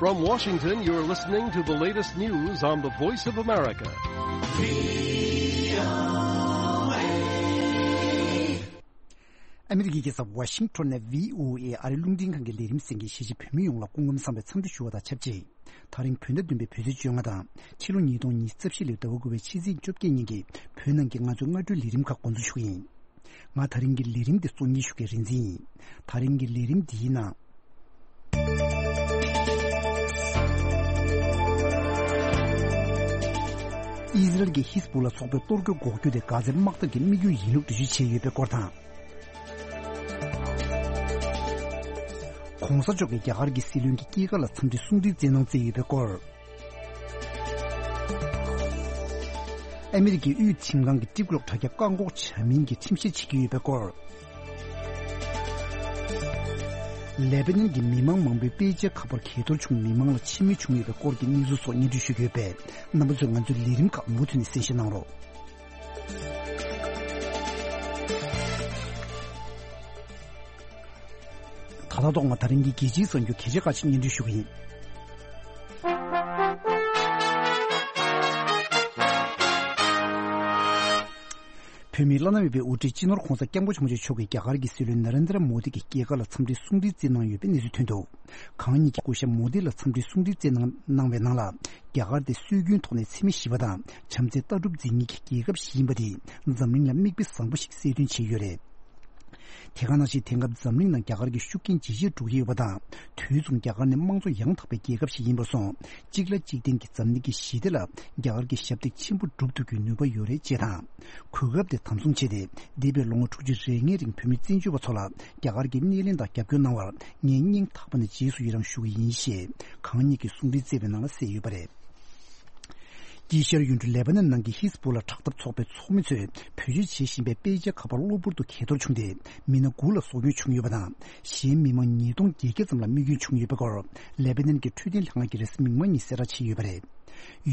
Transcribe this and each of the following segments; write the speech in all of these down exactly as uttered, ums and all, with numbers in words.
From Washington, you're listening to the latest news on the Voice of America. ཨ་མི་རི་ཀའི་རྒྱལ་ས་ཝ་ཤིང་ཊོན་ནས་བྷི་ཨོ་ཨེ་ཨ་རིའི་རླུང་འཕྲིན་ཁང་གི་ལས་རིམ་གསན་མཁན་གཞིས་བྱེས་བོད་མི་ཡོངས་ལ་སྐུ་ཁམས་བཟང་བའི་འཚམས་འདྲི་ཞུ་བ་དང་ཆབས་ཅིག་ད་རིང་བོད་ཟླ་བདུན་པའི་བོད་ཚེས་བཅོ་ལྔ་དང་ཕྱི་ལོ་ཉིས་སྟོང་ཉི་ཤུ་རྩ་བཞི་ལོའི་ཟླ་བ་དགུ་པའི་ཕྱི་ཚེས་བཅོ་བརྒྱད་ཉིན་གྱི་བོད་ནང་གི་ང་ཚོའི་སྔ་དྲོའི་ལས་རིམ་ཁག་འགོ་འཛུགས་ཞུ་གི་ཡིན། ང་ད་རིང་གི་ལས་རིམ་འདི་གཙོ་གཉེར་ཞུ་མཁན་རིག་འཛིན་ཡིན། ད་རིང་གི་ལས་རིམ་འདིའི་ནང་། ཨི་ཟི་རལ་གྱི་ཧིས་བུ་ལ་ཚོགས་པའི་གཏོར་རྒོལ་འགོག་རྒྱུ་དེ་གྷ་ཛའི་དམག་འཐབ་ཀྱི་དམིགས་ཡུལ་ཡིན་ལུགས་འགྲེལ་བརྗོད་བྱས་ཡོད་པའི་སྐོར་དང་། གོང་ས་མཆོག་གིས་རྒྱ་གར་གྱི་སྲིད་བློན་གྱི་སྐྱེས་སྐར་ལ་འཚམས་འདྲི་གསུང་འཕྲིན་བསྩལ་གནང་བསྩལ་ཡོད་པའི་སྐོར། ཨ་མི་རི་ཀའི་དབུས་ཁྲིམས་ཁང་གིས་ཊིག་ཊོག་དྲ་རྒྱ་བཀག་འགོག་བྱ་མིན་གྱི་ཁྲིམས་བཤེར་བྱེད་ཀྱི་ཡོད་པའི་སྐོར། ལེ་པ་ནན་གྱི་མི་མང་མང་པོས་དཔེ་ཆའི་ཁ་པར་གས་གཏོར་བྱུང་མི་མང་ལ་ཕྱི་སྨོད་བྱུང་ཡོད་པའི་སྐོར་གྱི་གནས་ཚུལ་སོགས་སྙན་སྒྲོན་ཞུ་གི་ཡོད་པས། རྣམ་པ་ཚོས་ང་ཚོའི་ལས་རིམ་ཁག་མུ་མཐུད་ནས་གསན་བཞེས་གནང་རོགས། ད་ལྟ་ཐོག་མ་ད་རིང་གི་རྒྱལ་སྤྱིའི་གསར་འགྱུར་གལ་ཆེ་ཁག་ཅིག་སྙན་སྒྲོན་ཞུ་གི་ཡིན། བོད་མིའི་བླ་ན་མེད་པའི་དབུ་ཁྲིད་སྤྱི་ནོར་༧གོང་ས་༧སྐྱབས་མགོན་ཆེན་པོ་མཆོག་གིས་རྒྱ་གར་གྱི་སྲིད་བློན་ན་རེན་དྲ་མོ་དི་གི་སྐྱེས་སྐར་ལ་འཚམས་འདྲིའི་གསུང་འཕྲིན་བསྩལ་གནང་ཡོད་པའི་གནས་ཚུལ་ཐོན་འདུག་གང་ཉིད་ཀྱི་སྐུ་ཞབས་མོ་དི་ལ་འཚམས་འདྲིའི་གསུང་འཕྲིན་བསྩལ་གནང་གནང་བའི་ནང་ལ། རྒྱ་གར་དེ་སྲོལ་རྒྱུན་ཐོག་ནས་འཚེ་མེད་ཞི་བ་དང་བྱམས་བརྩེའི་ལྟ་གྲུབ་འཛིན་མཁན་གྱི་རྒྱལ་ཁབ་ཞིག་ཡིན་པ་དེས་འཛམ་གླིང་ལ་མིག་དཔེ་བཟང་པོ་ཞིག་གསལ་སྟོན་བྱས་ཡོད་རེད། དེ་ག་ནང་བཞིན་དེང་སྐབས་འཛམ་གླིང་ནང་རྒྱ་གར་གྱི་ཤུགས་རྐྱེན་ཇེ་ཆེར་འགྲོ་གི་ཡོད་པ་དང་། དུས་མཚུངས་རྒྱ་གར་ནི་དམངས་གཙོ་ཡང་དག་པའི་རྒྱལ་ཁབ་ཞིག་ཡིན་པར་སོང་། གཅིག་ལ་གཅིག་བརྟེན་གྱི་འཛམ་གླིང་གི་ཞི་བདེ་ལ་རྒྱ་གར་གྱི་ཞབས་འདེགས་ཆེན་པོ་སྒྲུབ་ཐུབ་རྒྱུའི་ནུས་པ་ཡོད་རེད་ཅེས་དང་། གོ་སྐབས་དེ་དམ་བཟུང་བྱས་ཏེ། འདས་པའི་ལོ་ངོ་དྲུག་ཅུ་རེ་ལྔའི་རིང་བོད་མི་བཙན་བྱོལ་བ་ཚོ་ལ་རྒྱ་གར་གྱིས་སྣེ་ལེན་དང་རྒྱབ་སྐྱོར་གནང་བར་ངས་སྙིང་ཐག་པ་ནས་རྗེས་སུ་ཡི་རང་ཞུ་གི་ཡིན་ཞེས་གང་ཉིད་ཀྱིས་གསུང་འཕྲིན་བསྩལ་བའི་ནང་ལ་གསལ་ཡོད་པ་རེད། དཀྱིལ་ཤར་ཡུལ་གྲུ་ལེ་པ་ནན་ནང་གི་ཧིས་བུ་ལ་དྲག་འཐབ་ཚོགས་པའི་ཚོགས་མི་ཚོས་བེད་སྤྱོད་བྱེད་བཞིན་པའི་དཔེ་ཆའི་ཁ་པར་གློ་བུར་དུ་གས་གཏོར་བྱུང་སྟེ། མི་སྣ་དགུ་ལ་སྲོག་སྐྱོན་བྱུང་ཡོད་པ་དང་། གཞན་མི་མང་ཉིས་སྟོང་བརྒྱད་བརྒྱ་ཙམ་ལ་རྨས་སྐྱོན་བྱུང་ཡོད་པའི་སྐོར། ལེ་པ་ནན་གྱི་འཕྲོད་བསྟེན་ལྷན་ཁང་གིས་རེས་གཟའ་མིག་དམར་ཉིན་གསལ་བསྒྲགས་བྱས་ཡོད་པ་རེད།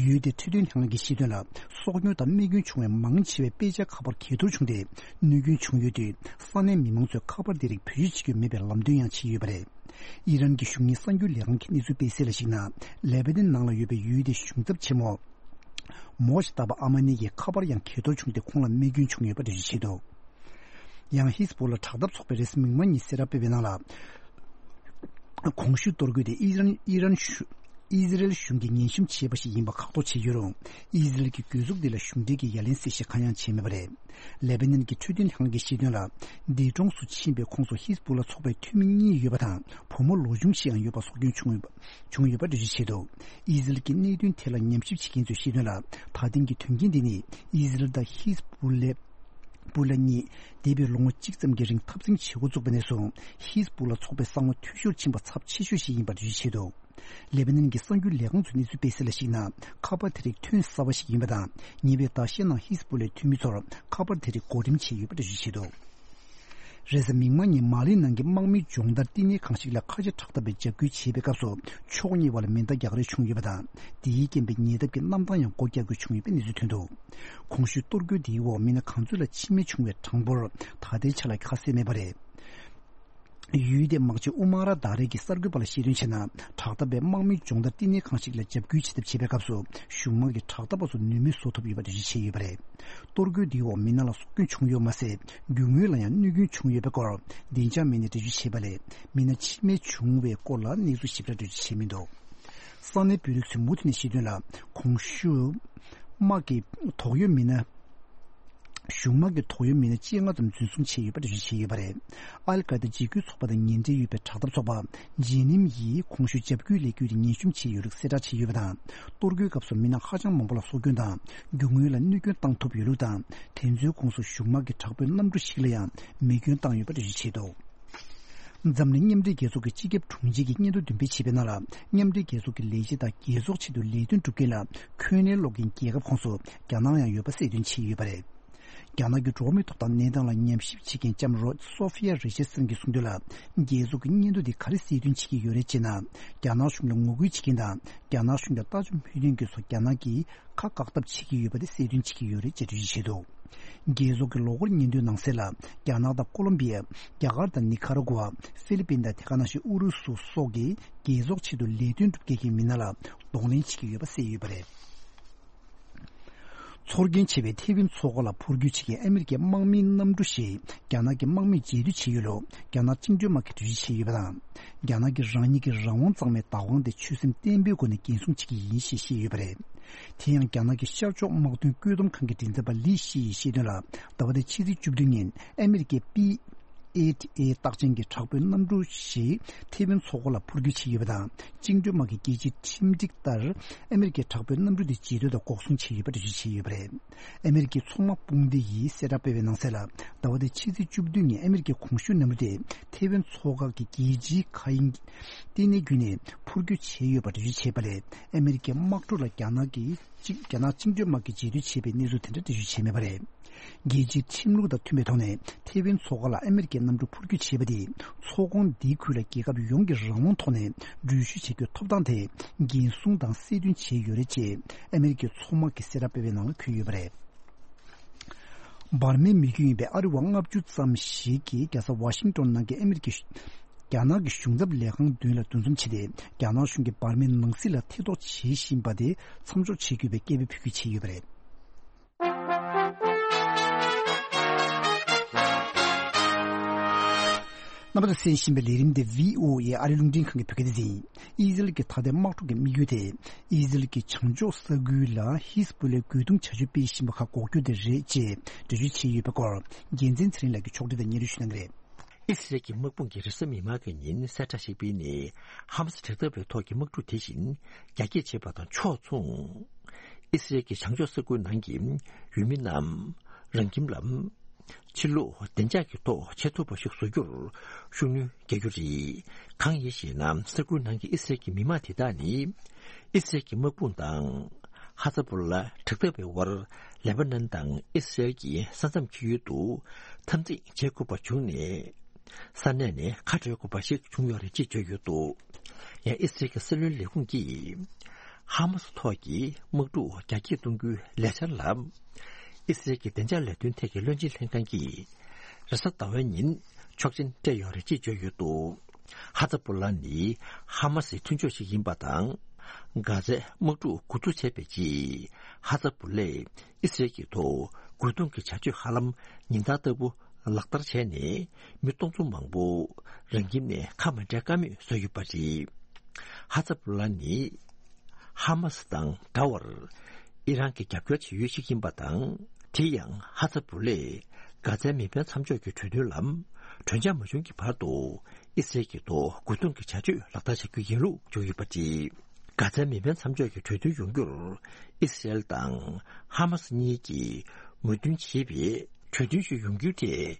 ཡུལ་དེའི་འཕྲོད་བསྟེན་ལྷན་ཁང་གིས་བཤད་དོན་ལ། སྲོག་སྐྱོན་དང་རྨས་སྐྱོན་བྱུང་བའི་མང་ཆེ་བས་དཔེ་ཆའི་ཁ་པར་གས་གཏོར་བྱུང་སྟེ། གནོད་སྐྱོན་བྱུང་ཡོད་དུས། ས་གནས་མི་མང་ཚོས་ཁ་པར་དེ་རིགས་བེད་སྤྱོད་བྱེད་རྒྱུ་མེད་པའི་ལམ་སྟོན་ཡང་བྱས་ཡོད་པ་རེད། ཨི་རན་གྱི་གཞུང་གཉེར་གསར་འགྱུར་ལས་ཁང་གིས་གནས་ཚུལ་སྤེལ་གསལ་ལ་གཞིགས་ན། ལེ་པ་ནན་ནང་ལ་ཡོད་པའི་ཡུལ་དེའི་གཞུང་ཚབ་ཆེན་མོ་མོ་ཤི་ཏཱ་བ་ཨ་མ་ནི་ཡི་ཁ་པར་ཡང་གས་གཏོར་བྱུང་སྟེ། ཁོང་ལ་རྨས་སྐྱོན་བྱུང་ཡོད་པ་འགྲེལ་བརྗོད་བྱས་འདུག་ཡང་ཧིས་བུ་ལ་དྲག་འཐབ་ཚོགས་པས་རེས་གཟའ་མིག་དམར་ཉིན་གསལ་བསྒྲགས་སྤེལ་བའི་ནང་ལ། གོང་ཞུས་གཏོར་རྒོལ་དེ་ཨི་རན་ཨི་རན་ཞུ། ཨི་ཟི་རེལ་གཞུང་གིས་ངན་ཞིབ་བྱས་པ་ཞིག་ཡིན་པ་ཁག་ཐོག་བྱས་ཡོད་རུང་། ཨི་ཟི་རེལ་གྱི་གྱོད་གཟུགས་འདི་ལ་གཞུང་འབྲེལ་གྱི་ཡ་ལན་གསལ་བཤད་གང་ཡང་བྱས་མེད་པ་རེད། ལེ་པ་ནན་གྱི་འཕྲོད་བསྟེན་ལྷན་ཁང་གིས་བཤད་དོན་ལ། འདས་གྲོངས་སུ་ཕྱིན་པའི་ཁོངས་སུ་ཧིས་བུ་ལ་ཚོགས་པའི་འཐུས་མི་གཉིས་ཡོད་པ་དང་། བུ་མོ་ལོ་ཆུང་ཞིག་ཡང་ཡོད་པ་སྲོག་སྐྱོན་བྱུང་ཡོད་པ་བྱུང་ཡོད་པ་འགྲེལ་བརྗོད་བྱས་འདུག་ཨི་ཟི་རེལ་གྱིས་གནད་དོན་ཐད་ལ་ཉམས་ཞིབ་བྱེད་མཁན་ཚོས་བཤད་དོན་ལ། ད་ཐེངས་ཀྱི་དོན་རྐྱེན་འདི་ནི་ཨི་ཟི་རེལ་དང་ཧིས་བུ་ལེ། བུ་ལ་གཉིས་འདས་པའི་ལོ་ངོ་གཅིག་ཙམ་གྱི་རིང་འཐབ་འཛིང་བྱེད་འགོ་བཙུགས་པ་ནས་བཟུང་། ཧིས་བུ་ལ་ཚོགས་པའི་ས་ངོ་འཐུས་ཤོར་ཕྱིན་པ་ཚབས་ཆེ་ཤོས་ཤིག་ཡིན་པར་འགྲེལ་བརྗོད་བྱས་འདུག་ལེ་པ་ནན་གྱི་གསར་འགྱུར་ལས་ཁང་ཚོས་གནས་ཚུལ་སྤེལ་གསལ་ལ་གཞིགས་ན། ཁ་པར་དེ་རིགས་ཐོན་གསར་པ་ཞིག་ཡིན་པ་དང་། ཉེ་བའི་ཟླ་ཤས་ནང་ཧིས་བུ་ལའི་འཐུས་མི་ཚོར་ཁ་པར་དེ་རིགས་བགོ་འགྲེམས་བྱས་ཡོད་པ་འགྲེལ་བརྗོད་བྱས་འདུག་རེས་གཟའ་མིག་དམར་ཉིན་མ་ལི་ནང་གི་དམག་མིའི་སྦྱོང་བརྡར་བསྟི་གནས་ཁང་ཞིག་ལ་ཁ་ཆེ་དྲག་འཐབ་པས་འཇབ་རྒོལ་བྱས་པའི་སྐབས་སུ། ཕྱོགས་གཉིས་བར་ལ་མེ་མདའ་རྒྱག་རེས་བྱུང་ཡོད་པ་དང་། དེའི་རྐྱེན་པས་ཉེ་འདབས་ཀྱི་གནམ་ཐང་ཡང་སྒོ་རྒྱག་དགོས་བྱུང་ཡོད་པའི་གནས་ཚུལ་ཐོན་འདུག་གོང་ཞུས་གཏོར་རྒོལ་དེའི་འོག་མི་སྣ་གང་ཚོད་ལ་འཆི་རྨས་བྱུང་བའི་གྲངས་འབོར་ད་ལྟའི་ཆ་ལ་ཁ་གསལ་མེད་པ་རེད། ཡུལ་དེའི་དམག་སྤྱི་ཨུ་མ་ར་དཱ་རེ་གིས་གསར་འགོད་པ་ལ་བཤད་དོན་བྱས་ན། དྲག་འཐབ་པས་དམག་མིའི་སྦྱོང་བརྡར་བསྟི་གནས་ཁང་ཞིག་ལ་འཇབ་རྒོལ་བྱེད་ཐབས་བྱེད་པའི་སྐབས་སུ། གཞུང་དམག་གིས་དྲག་འཐབ་པ་ཚོ་ནུས་མེད་བཟོ་ཐུབ་ཡོད་པ་འགྲེལ་བརྗོད་བྱས་ཡོད་པ་རེད། གཏོར་རྒོལ་འདིའི་འོག་མི་སྣ་ལ་སྲོག་སྐྱོན་བྱུང་ཡོད་མ་ཟད། རྒྱུ་དངོས་ལ་ཡང་གནོད་སྐྱོན་བྱུང་ཡོད་པའི་སྐོར། བདེ་འཇགས་མི་སྣས་འགྲེལ་བརྗོད་བྱས་པ་ལས། མི་སྣ་འཆི་རྨས་བྱུང་བའི་སྐོར་ལ་གནས་ཚུལ་ཞིབ་ཕྲ་འགྲེལ་བརྗོད་བྱས་མི་འདུག་ས་གནས་བོད་རིགས་ཚོས་མུ་མཐུད་ནས་བཤད་དོན་ལ། གོང་ཞུས་དམག་གི་དོགས་ཡོད་མི་སྣ། གཞུང་དམག་གི་དོགས་ཡོད་མི་སྣ་བཅོ་ལྔ་ཙམ་འཛིན་བཟུང་བྱས་ཡོད་པ་འགྲེལ་བརྗོད་བྱས་ཡོད་པ་རེད། ཨལ་ཀ་ད་འཇིགས་སྐུལ་ཚོགས་པ་དང་ངན་འབྲེལ་ཡོད་པའི་དྲག་འཐབ་ཚོགས་པ་ཇེ་ནིམ་ཡིས་གོང་ཞུས་འཇབ་རྒོལ་ལས་འགུལ་དེ་ངན་ཞུམ་བྱས་ཡོད་ལུགས་གསལ་བསྒྲགས་བྱས་ཡོད་པ་དང་། གཏོར་རྒོལ་སྐབས་སུ་མི་སྣ་ཧ་ཅང་མང་པོ་ལ་སྲོག་སྐྱོན་དང་རྒྱུ་དངོས་ལ་གནོད་སྐྱོན་བཏང་ཐུབ་ཡོད་ལུགས་དང་། དེ་ཚོའི་ཁོངས་སུ་གཞུང་དམག་གི་དྲག་པོའི་གནམ་གྲུ་ཞིག་ལ་ཡང་མེ་སྐྱོན་བཏང་ཡོད་པ་འགྲེལ་བརྗོད་བྱས་འདུག་འཛམ་གླིང་མཉམ་འབྲེལ་རྒྱལ་ཚོགས་ཀྱི་སྤྱི་ཁྱབ་དྲུང་ཆེ་གིས་སྙན་ཐོ་འདོན་སྤེལ་བྱས་པའི་ནང་ལ། མཉམ་འབྲེལ་རྒྱལ་ཚོགས་ཀྱི་ལས་བྱེད་དང་རྒྱལ་ཚོགས་ཆེད་དུ་ལས་དོན་སྒྲུབ་མཁན་ལ་འཁོན་ལན་སློག་མཁན་རྒྱལ་ཁབ་ཁོངས་སུ་རྒྱ་ནག་ཡང་ཡོད་པ་གསལ་སྟོན་བྱས་ཡོད་པ་རེད། རྒྱ་ནག་གི་འགྲོ་བ་མིའི་ཐོབ་ཐང་གནས་སྟངས་ལ་ཉམས་ཞིབ་བྱེད་མཁན་ལྕམ་རོ་སོ་ཧྥི་ཡ་རི་ཆར་སན་གྱིས་གསུངས་དོན་ལ། རྒྱལ་ཚོགས་ཀྱི་སྙན་ཐོ་འདི་ག་རེ་གསལ་སྟོན་བྱེད་ཀྱི་ཡོད་རེད་ཅེ་ན། རྒྱ་ནག་གཞུང་ལ་ངོ་རྒོལ་བྱེད་མཁན་དང་། རྒྱ་ནག་གཞུང་ལ་ལྟ་ཅི་མོས་མཐུན་མཁན་ཚོ་རྒྱ་ནག་གིས་ཁ་བཀག་ཐབས་བྱེད་ཀྱི་ཡོད་པ་དེ་གསལ་སྟོན་བྱེད་ཀྱི་ཡོད་རེད་ཅེས་འགྲེལ་བརྗོད་བྱས་འདུག་རྒྱལ་ཚོགས་ཀྱི་ལོ་འཁོར་སྙན་ཐོའི་ནང་གསལ་ལ། རྒྱ་ནག་དང་ཀོ་ལོམ་བི་ཡ། རྒྱ་གར་དང་ནི་ཁ་ར་གུ་ཝ། ཧྥི་ལི་པིན་དང་དེ་ག་ནང་བཞིན་ཨུ་རུ་སུ་སོགས་ཀྱིས་རྒྱལ་ཚོགས་ཆེད་དུ་ལས་དོན་སྒྲུབ་མཁན་གྱི་མི་སྣ་ལ་གདོང་ལེན་བྱེད་ཀྱི་ཡོད་པ་གསལ་ཡོད་པ་རེད། ཚོར་སྐྱེན་ཆེ་བའི་ཐེ་ཝན་མཚོ་ཁ་ལ་འཕུར་སྐྱོད་བྱེད་མཁན་ཨ་མི་རི་ཀའི་དམག་མིའི་གནམ་གྲུ་ཞིག་རྒྱ་ནག་གི་དམག་མིས་རྗེས་མཐུད་བྱས་ཡོད་ལུགས་རྒྱ་ནག་བཅིངས་འགྲོལ་དམག་གིས་འགྲེལ་བརྗོད་བྱས་ཡོད་པ་དང་། རྒྱ་ནག་གིས་རང་ཉིད་ཀྱི་རང་དབང་གཙང་མའི་བདག་དབང་དེ་ཆོད་སེམས་བརྟན་པོའི་སྒོ་ནས་འགན་སྲུང་བྱེད་ཀྱི་ཡིན་ཞེས་བཤད་ཡོད་པ་རེད། དེ་ཡང་རྒྱ་ནག་གི་ཤར་ཕྱོགས་དམག་དོན་བཀོད་འདོམས་ཁང་གི་མགྲིན་ཚབ་པ་ལི་ཞི་ཡིས་བཤད་དོན་ལ། ཟླ་བ་འདིའི་ཕྱི་ཚེས་བཅུ་བདུན་ཉིན་ཨ་མི་རི་ཀའི་པི་ཨེ་ཨེ་རྟགས་ཅན་གྱི་དྲག་པོའི་གནམ་གྲུ་ཞིག་ཐེ་ཝན་མཚོ་ཁ་ལ་འཕུར་སྐྱོད་བྱས་ཡོད་པ་དང་། བཅིངས་འགྲོལ་དམག་གི་རྒྱལ་སྤྱིའི་ཁྲིམས་སྒྲིག་ལྟར་ཨ་མི་རི་ཀའི་དྲག་པོའི་གནམ་གྲུ་དེ་རྗེས་ཐོ་དང་འགོག་སྲུང་བྱས་ཡོད་པ་འགྲེལ་བརྗོད་བྱས་ཡོད་པ་རེད། ཨ་མི་རི་ཀའི་མཚོ་དམག་དཔུང་སྡེ་ཡིས་གསལ་བསྒྲགས་སྤེལ་བའི་ནང་གསལ་ལ། ཟླ་བ་འདིའི་ཕྱི་ཚེས་བཅུ་བདུན་ཉིན་ཨ་མི་རི་ཀའི་གོང་ཞུས་གནམ་གྲུ་དེ་ཐེ་ཝན་མཚོ་འགག་གི་རྒྱལ་སྤྱིའི་མཁའ་དབྱིངས་ལྟེ་གནས་བརྒྱུད་ནས་འཕུར་སྐྱོད་བྱས་ཡོད་པ་འགྲེལ་བརྗོད་བྱས་པ་ལས། ཨ་མི་རི་ཀའི་དམག་གྲུ་ལ་རྒྱ་ནག་གི་གཅིག་རྒྱ་ནག་བཅིངས་འགྲོལ་དམག་གིས་རྗེས་མཐུད་བྱས་པའི་གནས་ཚུལ་དེ་འདྲ་འགྲེལ་བརྗོད་བྱས་མེད་པ་རེད། རྒྱལ་སྤྱིའི་ཁྲིམས་ལུགས་དང་མཐུན་པའི་ཐོག་ནས་ཐེ་ཝན་མཚོ་ཁ་ལ་ཨ་མི་རི་ཀའི་གནམ་གྲུ་འཕུར་སྐྱོད་བྱས་པ་དེས། མཚོ་ཁོངས་འདིའི་ཁུལ་ལ་རྒྱལ་ཁབ་ཡོངས་ཀྱི་རང་དབང་ཐོག་ནས་འགྲུལ་བཞུད་བྱེད་རྒྱུའི་ཐོབ་ཐང་དེ་འགན་སྲུང་དང་གསལ་སྟོན་བྱས་ཡོད་རེད་ཅེས་ཨ་མི་རི་ཀའི་མཚོ་དམག་གིས་གསལ་བསྒྲགས་སྤེལ་བའི་ནང་ལ་འཁོད་ཡོད་པ་རེད། འབར་མའི་མི་རྒྱུད་ཡིན་པའི་ཨ་རི་བ་ལྔ་བཅུ་ཙམ་ཞིག་གིས་རྒྱལ་ས་ཝ་ཤིང་ཏོན་ནང་གི་ཨ་མི་རི་ཀའི་རྒྱ་ནག་གི་གཞུང་ཚབ་ལས་ཁང་མདུན་ལ་འདུ་འཛོམས་བྱས་ཏེ། རྒྱ་ནག་གཞུང་གིས་འབར་མའི་ནང་སྲིད་ལ་ཐེ་གཏོགས་བྱེད་བཞིན་པ་དེ་མཚམས་འཇོག་བྱེད་དགོས་པའི་སྐད་འབོད་ཕུལ་རྒྱུ་བྱས་ཡོད་པ་རེད། རྣམ་པ་ཚོས་གསན་བཞིན་པའི་ལས་རིམ་འདི་བྷི་ཨོ་ཨེ་ཨ་རིའི་རླུང་འཕྲིན་ཁང་གི་བོད་སྐད་སྡེ་ཚན་ཡིན། ཨི་ཟི་རལ་གྱི་ཐ་དད་དམག་འཁྲུག་གི་དམིགས་ཡུལ་དེ། ཨི་ཟི་རལ་གྱི་བྱང་ཕྱོགས་ས་ཁུལ་ལ་ཧི་ཟ་བུ་ལའི་རྒོལ་རྡུང་བྱ་སྤྱོད་སྤེལ་བཞིན་པ་ཁག་འགོག་རྒྱུ་དེ་རེད་ཅེས་འགྲེལ་བརྗོད་བྱས་ཡོད་པའི་སྐོར། རྒྱལ་མཚན་ཚེ་རིང་ལགས་ཀྱིས་ཕྱོགས་སྒྲིག་དང་སྙན་སྒྲོན་ཞུ་གནང་གི་རེད། ཨི་སི་རལ་གྱི་དམག་དཔུང་གིས་རེས་གཟའ་མིག་དམར་གྱི་ཉིན་གསལ་བསྒྲགས་ཤིག་སྤེལ་ནས། ཧ་མ་སི་དྲག་འཐབ་པའི་ཐོག་གི་དམག་འཁྲུག་དེ་བཞིན་རྒྱ་སྐྱེད་བྱེད་པ་དང་ཕྱོགས་མཚུངས། ཨི་སི་རལ་གྱི་བྱང་ཕྱོགས་ས་ཁུལ་ནང་གི་ཡུལ་མི་རྣམས་རང་ཁྱིམ་ལ་ཕྱིར་ལོག་བདེ་འཇགས་ཀྱི་ཐོག་བྱེད་ཐུབ་པ་ཞིག་བཟོ་རྒྱུར་ཤུགས་སྣོན་རྒྱག་རྒྱུ་རེད། གང་ཡིན་ཞེ་ན། ས་ཁུལ་ནང་གི་ཨི་སི་རལ་གྱི་མི་མང་དེ་དག་ནི། ཨི་སི་རལ་གྱི་དམག་དཔུང་དང་། ཧ་ཛ་བུ་ལ་དྲག་འཐབ་པའི་དབར། ལེ་པ་ནན་དང་ཨི་སི་རལ་གྱི་ས་མཚམས་འཁེལ་ཡུལ་དུ་འཐབ་འཛིང་བྱེད་དགོས་པ་བྱུང་ནས། ས་གནས་ནས་ཁ་བྲལ་དགོས་པ་ཞིག་བྱུང་ཡོད་རེད་ཅེས་བརྗོད་ཡོད་འདུག་ཡང་ཨི་སི་རལ་གྱི་སྲིད་བློན་ལས་ཁུངས་ཀྱིས། ཧ་མ་སི་ཐོག་གི་དམག་འཁྲུག་རྒྱ་སྐྱེད་གཏོང་རྒྱུའི་ལས་འཆར་ལ། ཨི་སི་རལ་གྱི་བདེ་འཇགས་ལས་དོན་ཐད་ཀྱི་བློན་ཆེན་ལྷན་ཁང་གིས། རེས་གཟའ་ཟླ་བའི་ཉིན་ཆོག་མཆན་སྤྲད་ཡོད་རེད་ཅེས་བརྗོད་ཡོད་འདུག་ཧ་ཛ་བུ་ལ་ནི་ཧ་མ་སིའི་མཐུན་ཕྱོགས་ཤིག་ཡིན་པ་དང་། གྷ་ཛའི་དམག་འཁྲུག་འགོ་འཛུགས་བྱས་པའི་རྗེས། ཧ་ཛ་བུ་ལས་ཨི་སི་རལ་གྱི་ཐོག་རྒོལ་རྡུང་གི་བྱ་སྤྱོད་ཧ་ལམ་ཉིན་ལྟར་ལྟ་བུ་ལག་བསྟར་བྱས་ནས། མི་སྟོང་ཚོ་མང་པོ་རང་ཁྱིམ་ནས་ཁ་མ་བྲལ་ཀ་མེད་བཟོས་ཡོད་པ་རེད། ཧ་ཛ་བུ་ལ་ནི་ཧ་མ་སི་དང་འདྲ་བར་ཨི་རན་གྱི་རྒྱབ་སྐྱོར་བྱེད་ཡུལ་ཞིག་ཡིན་པ་དང་། དེ་ཡང་ཧ་ཛ་བུ་ལས་གྷ་ཛའི་མེ་འཕེན་མཚམས་འཇོག་གི་གྲོས་མཐུན་ལ་གྲོས་འཆར་མ་བྱུང་གི་བར་དུ་ཨི་སི་རལ་གྱི་ཐོག་རྒོལ་རྡུང་གི་བྱ་སྤྱོད་ལག་བསྟར་བྱ་རྒྱུ་ཡིན་ལུགས་བརྗོད་ཡོད་པ་རེད། གྷ་ཛའི་མེ་འཕེན་མཚམས་འཇོག་གི་གྲོས་མཐུན་ཡོང་རྒྱུར་ཨི་སི་རལ་དང་ཧ་མ་སི་གཉིས་ཀྱིས་མོས་མཐུན་བྱེད་པའི་གྲོས་མཐུན་ཞིག་ཡོང་རྒྱུའི་ཐད།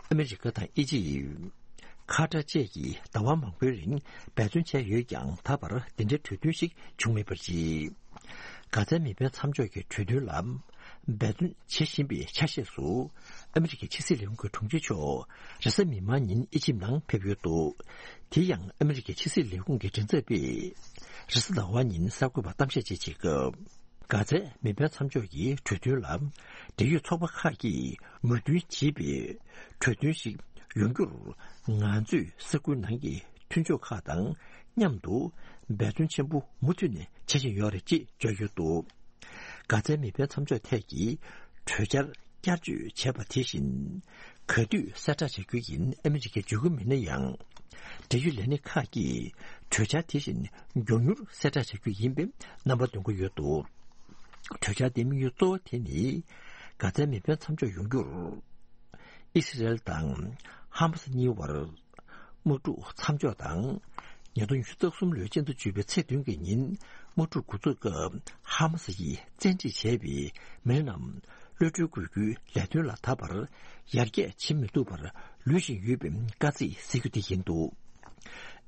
ཨ་མི་རི་ཀ་དང་ཨི་ཇིབ། ཁ་ཏར་བཅས་ཀྱིས་ཟླ་བ་མང་པོའི་རིང་འབད་བརྩོན་བྱས་ཡོད་ཀྱང་། ད་བར་འདི་འདྲའི་གྲོས་མཐུན་ཞིག་བྱུང་མེད་པ་རེད། གྷ་ཛའི་མེ་འཕེན་མཚམས་འཇོག་གི་གྲོས་མཐུན་ལ་འབད་བརྩོན་བྱེད་བཞིན་པའི་ཆ་ཤས་སུ། ཨ་མི་རི་ཀའི་ཕྱི་སྲིད་ལས་ཁུངས་ཀྱི་དྲུང་ཆེ་མཆོག་རེས་གཟའ་མིག་དམར་ཉིན་ཨི་ཇིབ་ནང་ཕེབས་ཡོད་འདུག་དེ་ཡང་ཨ་མི་རི་ཀའི་ཕྱི་སྲིད་ལས་ཁུངས་ཀྱི་མགྲིན་ཚབ་པས། རེས་གཟའ་ཟླ་བ་ཉིན་གསར་འགོད་པར་གཏམ་བཤད་བཅས་བྱེད་སྐབས། གྷ་ཛའི་མེ་འཕེན་མཚམས་འཇོག་གི་གྲོས་མཐུན་ལ། འབྲེལ་ཡོད་ཚོགས་པ་ཁག་གིས་མོས་མཐུན་བྱེད་པའི་གྲོས་མཐུན་ཞིག་ཡོང་རྒྱུར། ང་ཚོས་ས་ཁུལ་ནང་གི་མཐུན་ཕྱོགས་ཁག་དང་མཉམ་དུ་འབད་བརྩོན་ཆེན་པོ་མུ་མཐུད་ནས་བྱེད་བཞིན་ཡོད་རེད་ཅེས་བརྗོད་ཡོད་འདུག་གྷ་ཛའི་མེ་འཕེན་མཚམས་འཇོག་ཐད་ཀྱི་གྲོས་འཆར་བསྐྱར་བཅོས་བྱས་པ་དེ་བཞིན། ག་དུས་གསལ་བསྒྲགས་བྱ་རྒྱུ་ཡིན། ཨ་མི་རི་ཀས་བརྗོད་ཀྱི་མེད་ན་ཡང་། འབྲེལ་ཡོད་ལས་སྣེ་ཁག་གིས་གྲོས་འཆར་དེ་བཞིན་མགྱོགས་མྱུར་གསལ་བསྒྲགས་བྱ་རྒྱུ་ཡིན་པའི་རྣམ་པ་འདོན་གྱི་ཡོད་འདུག་གྲོས་འཆར་དེའི་དམིགས་ཡུལ་གཙོ་བོ་དེ་ནི། གྷ་ཛའི་མེ་འཕེན་མཚམས་འཇོག་ཡོང་རྒྱུར། ཨི་སི་རེལ་དང་ཧ་མ་སི་གཉིས་བར་དམག་འཁྲུག་མཚམས་འཇོག་དང་། ཉིས་སྟོང་ཉི་ཤུ་རྩ་གསུམ་ལོའི་སྤྱི་ཟླ་བཅུ་པའི་ཚེས་བདུན་གྱི་ཉིན་དམག་འཁྲུག་འགོ་འཛུགས་སྐབས། ཧ་མ་སི་ཡིས་བཙན་ཁྲིད་བྱས་པའི་མི་སྣ་རྣམས་གློད་གྲོལ་དགོས་རྒྱུའི་ལས་དོན་ལ་ད་བར་ཡར་རྒྱས་བྱེད་མི་ཐུབ་པར་ལུས་བཞིན་ཡོད་པའི་བཀའ་གཙིགས་གཟིགས་རྒྱུ་དེ་ཡིན་འདུག་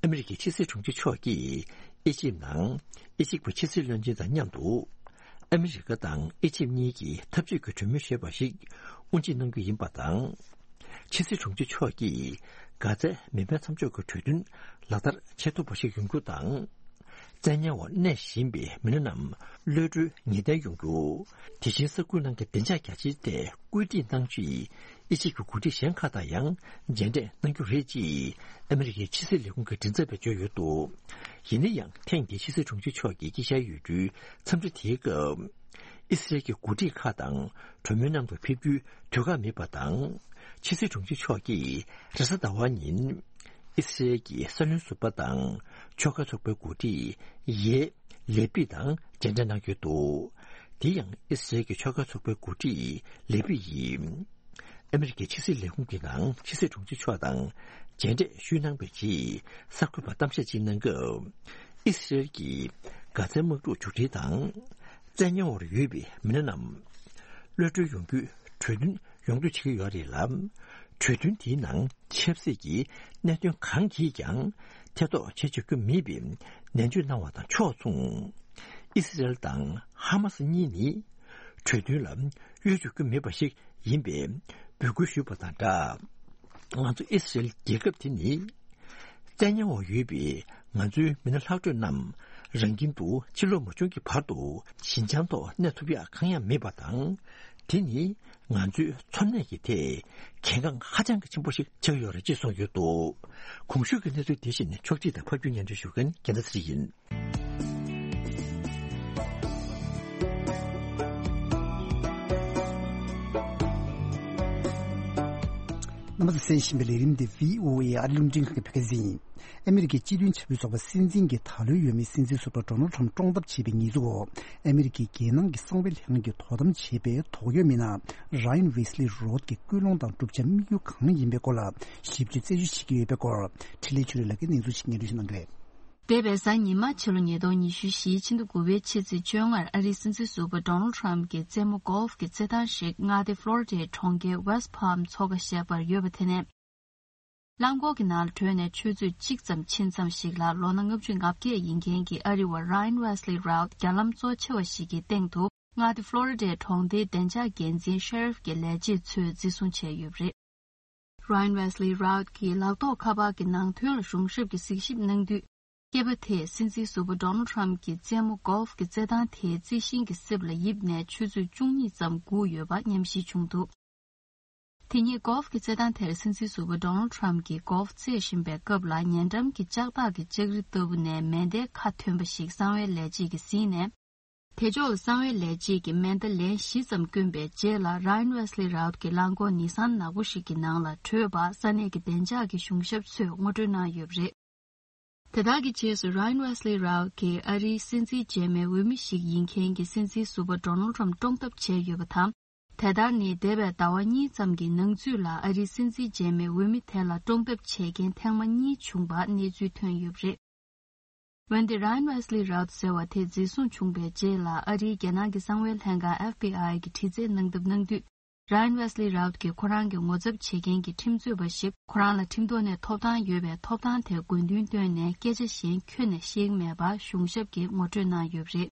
ཨ་མི་རི་ཀའི་ཕྱི་སྲིད་དྲུང་ཆེ་མཆོག་གིས་ཨི་ཇིབ་ནང་ཨི་ཇིབ་ཀྱི་ཕྱི་སྲིད་བློན་ཆེན་དང་མཉམ་དུ། ཨ་མི་རི་ཀ་དང་ཨི་ཇིབ་གཉིས་ཀྱིས་འཐབ་ཇུས་ཀྱི་གྲོས་མོལ་ཞེས་པ་ཞིག་དབུ་འབྱེད་གནང་རྒྱུ་ཡིན་པ་དང་། ཕྱི་སྲིད་དྲུང་ཆེ་མཆོག་གིས་གྷ་ཛའི་མེ་འཕེན་མཚམས་འཇོག་གི་གྲོས་མཐུན་ལག་བསྟར་བྱེད་ཐུབ་པ་ཞིག་ཡོང་རྒྱུ་དང་། བཙན་ཉར་འོག་གནས་བཞིན་པའི་མི་སྣ་རྣམས་གློད་གྲོལ་ངེས་གཏན་ཡོང་རྒྱུ། དེ་བཞིན་ས་ཁུལ་ནང་གི་བདེ་འཇགས་རྒྱ་ཆེའི་ཐད་སྐུལ་འདེད་གནང་ཆེད། ཨི་ཇིབ་ཀྱི་འགོ་ཁྲིད་གཞན་ཁག་དང་ཡང་མཇལ་འཕྲད་གནང་རྒྱུ་རེད་ཅེས་ཨ་མི་རི་ཀའི་ཕྱི་སྲིད་ལས་ཁུངས་ཀྱི་མགྲིན་ཚབ་པས་བརྗོད་ཡོད་འདུག་ཡིན་ན་ཡང་ཐེངས་འདིའི་ཕྱི་སྲིད་དྲུང་ཆེ་མཆོག་གིས་དཀྱིལ་ཤར་ཡུལ་གྲུའི་འཚམས་འདྲི་དེའི་སྐབས། ཨི་སི་རེལ་གྱི་འགོ་ཁྲིད་ཁག་དང་གྲོས་མོལ་གནང་དུ་ཕེབས་རྒྱུའི་དུས་བཀག་མེད་པ་དང་། ཕྱི་སྲིད་དྲུང་ཆེ་མཆོག་གིས་རེས་གཟའ་ཟླ་བ་ཉིན། ཨི་སི་རེལ་གྱི་སྲིད་བློན་ཟུར་པ་དང་ཕྱོགས་འགལ་ཚོགས་པའི་འགོ་ཁྲིད་ཡེ་ལེ་པི་དང་མཇལ་འཕྲད་གནང་ཡོད་འདུག་དེ་ཡང་ཨི་སི་རེལ་གྱི་ཕྱོགས་འགལ་ཚོགས་པའི་འགོ་ཁྲིད་ལེ་པི་ཡིས། ཨ་མི་རི་ཀའི་ཕྱི་སྲིད་ལས་ཁུངས་ཀྱི་ནང་ཕྱི་སྲིད་དྲུང་ཆེ་མཆོག་དང་མཇལ་འཕྲད་ཞུས་གནང་བའི་རྗེས་གསར་འགོད་པར་གཏམ་བཤད་ཅིག་གནང་སྐབས། ཨི་སི་རེལ་གྱིས་གྷ་ཛའི་དམག་འཁྲུག་མཇུག་སྒྲིལ་དང་། བཙན་ཉར་འོག་ཡོད་པའི་མི་སྣ་རྣམས་གློད་གྲོལ་ཡོང་རྒྱུའི་གྲོས་མཐུན་ཡོང་འདོད་བྱེད་ཀྱི་ཡོད་རེད་ལ། གྲོས་མཐུན་དེའི་ནང་ཆབ་སྲིད་ཀྱི་གནད་དོན་གང་གིས་ཀྱང་ཐེ་གཏོགས་བྱེད་ཆོག་རྒྱུ་མེད་པའི་ནན་བརྗོད་གནང་བ་དང་ཕྱོགས་མཚུངས། ཨི་སི་རེལ་དང་ཧ་མ་སི་གཉིས་ནི་གྲོས་མཐུན་ལ་གཡོལ་ཆོག་རྒྱུ་མེད་པ་ཞིག་ཡིན་པའི་འབོད་སྐུལ་ཞུས་པ་དང་སྦྲགས། ང་ཚོ་ཨི་སི་རེལ་རྒྱལ་ཁབ་དེ་ནི། བཙན་ཉར་འོག་ཡོད་པའི་ང་ཚོའི་མི་སྣ་ལྷག་འཕྲོས་རྣམས་རང་ཁྱིམ་དུ་ཕྱིར་ལོག་མ་བྱུང་གི་བར་དུ་ཞིན་ཅང་ཐོག་གནས་ཐུབ་ཡག་གང་ཡང་མེད་པ་དང་། དེ་ནི་ང་ཚོའི་འཚོ་གནས་ཀྱི་ཐད་གལ་འགངས་ཧ་ཅང་གི་ཆེན་པོ་ཞིག་ཆགས་ཡོད་རེད་ཅེས་གསུངས་ཡོད་འདུག་གོང་ཞུས་ཀྱི་གནས་ཚུལ་དེ་བཞིན་ཕྱོགས་སྒྲིག་དང་ཕབ་སྒྱུར་སྙན་སྒྲོན་ཞུ་མཁན་རྒྱལ་མཚན་ཚེ་རིང་ཡིན། རྣམ་པ་ཚོས་གསན་བཞིན་པའི་ལས་རིམ་འདི་བྷི་ཨོ་ཨེ་ཨ་རི་རླུང་འཕྲིན་ཁང་གི་བོད་སྐད་སྡེ་ཚན་ཡིན། ཨ་མི་རི་ཀའི་སྤྱི་མཐུན་བྱ་སྤྱོད་ཚོགས་པ་སྲིད་འཛིན་གྱི་ད་ལོའི་འོས་མི་སྲིད་འཛིན་ཟུར་པ་ཌོ་ནལ་ཁྲམ་བཀྲོངས་ཐབས་བྱས་པའི་ཉེས་འཛུགས་འོག་ཨ་མི་རི་ཀའི་རྒྱལ་ནང་གི་གསང་བའི་ལྷན་ཁང་གིས་དོ་དམ་བྱས་པའི་དོགས་ཡོད་མི་སྣ་ར་ཡན་ཝེ་སི་ལི་རོད་ཀྱི་ཀུན་སློང་དང་བསྒྲུབ་བྱ་དམིགས་ཡུལ་གང་ཡིན་པའི་སྐོར་ལ་ཞིབ་དཔྱོད་རྩད་གཅོད་བྱེད་ཀྱི་ཡོད་པའི་སྐོར། འཕྲིན་ལས་ཆོས་སྒྲོན་ལགས་ཀྱིས་གནས་ཚུལ་ཞིག་སྙན་སྒྲོན་ཞུ་གནང་གི་རེད། འདས་པའི་གཟའ་ཉི་མ་ཕྱི་ལོ་ཉིས་སྟོང་ཉི་ཤུ་བཞིའི་ཕྱི་ཟླ་དགུ་པའི་ཕྱི་ཚེས་བཅོ་ལྔར་ཨ་རིའི་སྲིད་འཛིན་ཟུར་པ་ཌོ་ནལ་ཁྲམ་གྱི་རྩེད་མོ་གོལ་ཕ་གྱི་རྩེད་ཐང་ཞིག་མངའ་སྡེ་ཕློ་རི་ཌའི་གྲོང་ཁྱེར་ཝེ་སི་ཕཱལམ་མཚོ་ཁ་ཞེས་པར་ཡོད་པ་དེ་ནས། རླངས་འཁོར་གྱི་ནང་ལ་བྲོས་ནས་ཆུ་ཚོད་གཅིག་ཙམ་ཕྱིན་ཙམ་ཞིག་ལ་ལོ་ན་ལྔ་བཅུ་ང་བརྒྱད་ཡིན་མཁན་གྱི་ཨ་རི་བ་ར་ཡན་ཝེ་སི་ལི་རའུ་རྒྱ་ལམ་གཙོ་ཆེ་བ་ཞིག་གི་སྟེང་དུ་མངའ་སྡེ་ཕློ་རི་ཌའི་གྲོང་སྡེའི་བདེ་འཇགས་འགན་འཛིན་ཤེ་རིཕ་གྱི་ལས་བྱེད་ཚོས་འཛིན་བཟུང་བྱས་ཡོད་པ་རེད། ར་ཡན་ཝེ་སི་ལི་རའུ་གིས་ལག་ཐོགས་ཁ་པར་གྱི་ནང་དོན་ལ་གཞུང་ཞབས་ཀྱིས་གཟིགས་ཞིབ་གནང་དུས། སྐྱེས་པ་དེས་སྲིད་འཛིན་ཟུར་པ་ཌོ་ནལ་ཁྲམ་གྱི་རྩེད་མོ་གོལ་ཕ་གྱི་རྩེད་ཐང་དེའི་རྩི་ཤིང་གི་གསེབ་ལ་ཡིབ་ནས་ཆུ་ཚོད་བཅུ་གཉིས་ཙམ་སྒུག་ཡོད་པ་ཉམས་ཞིབ་བྱུང་འདུག་དེ་ཉིད་གོལ་ཕ་གྱི་རྩེད་ཐང་དེར་སྲིད་འཛིན་ཟུར་པ་ཌོ་ནལ་ཁྲམ་གྱིས་གོལ་ཕ་རྩེད་བཞིན་པའི་སྐབས་ལ་ཉེ་འགྲམ་གྱི་ལྕགས་ཐག་གི་ལྕགས་རི་ལྟ་བུ་ནས་མེ་མདའི་ཁ་ཐོན་པ་ཞིག་གསང་བའི་ལས་བྱེད་ཀྱིས་ཟིན་ནས། དེ་ཕྱོགས་ལ་གསང་བའི་ལས་བྱེད་ཀྱིས་མེ་མདའ་ལན་བཞི་ཙམ་བསྐྱོན་པའི་རྗེས་ལ་ར་ཡན་ཝེ་སི་ལི་རའུ་གི་རླངས་འཁོར་ནི་སན་ནག་པོ་ཞིག་གི་ནང་ལ་བྲོས་པ་ས་གནས་ཀྱི་བདེ་འཇགས་ཀྱི་གཞུང་ཞབས་ཚོས་ངོ་སྤྲོད་གནང་ཡོད་པ་རེད། དེ་དག་གི་རྗེས་སུ་ར་ཡན་ཝེ་སི་ལི་རའུ་གིས་ཨ་རིའི་སྲིད་འཛིན་རྗེས་མའི་འོས་མི་ཞིག་ཡིན་མཁན་གྱི་སྲིད་འཛིན་ཟུར་པ་ཌོ་ནལ་ཁྲམ་བཀྲོངས་ཐབས་བྱས་ཡོད་པ་དང་། དེ་ལྟར་ནི་འདས་པའི་ཟླ་བ་གཉིས་ཙམ་གྱི་ནང་ཚུད་ལ་ཨ་རིའི་སྲིད་འཛིན་རྗེས་མའི་འོས་མི་དེ་ལ་བཀྲོངས་ཐབས་བྱས་མཁན་ཐེངས་མ་གཉིས་བྱུང་བ་གནས་ཚུལ་ཐོན་ཡོད་པ་རེད། འོན་ཏེ་ར་ཡན་ཝེ་སི་ལི་རའུ་ཟེར་བ་དེ་འཛིན་བཟུང་བྱུང་བའི་རྗེས་ལ་ཨ་རིའི་རྒྱལ་ནང་གི་གསང་བའི་ལྷན་ཁང་ཨེཕ་བི་ཨའི་གིས་དྲི་རྩད་གནང་ཐབས་གནང་དུས། ར་ཡན་ཝེ་སི་ལི་རའུ་གིས་ཁོ་རང་གི་ངོ་ཚབ་བྱེད་མཁན་གྱི་ཁྲིམས་རྩོད་པ་ཞིག་ཁོ་རང་ལ་ཁྲིམས་ཐོག་ནས་ཐོབ་ཐང་ཡོད་པའི་ཐོབ་ཐང་དེ་དགོས་འདུན་བཏོན་ནས་སྐད་ཆ་གཞན་ཁྱོན་ནས་བཤད་ཀྱི་མེད་པ་གཞུང་ཞབས་ཀྱིས་ངོ་སྤྲོད་གནང་ཡོད་པ་རེད།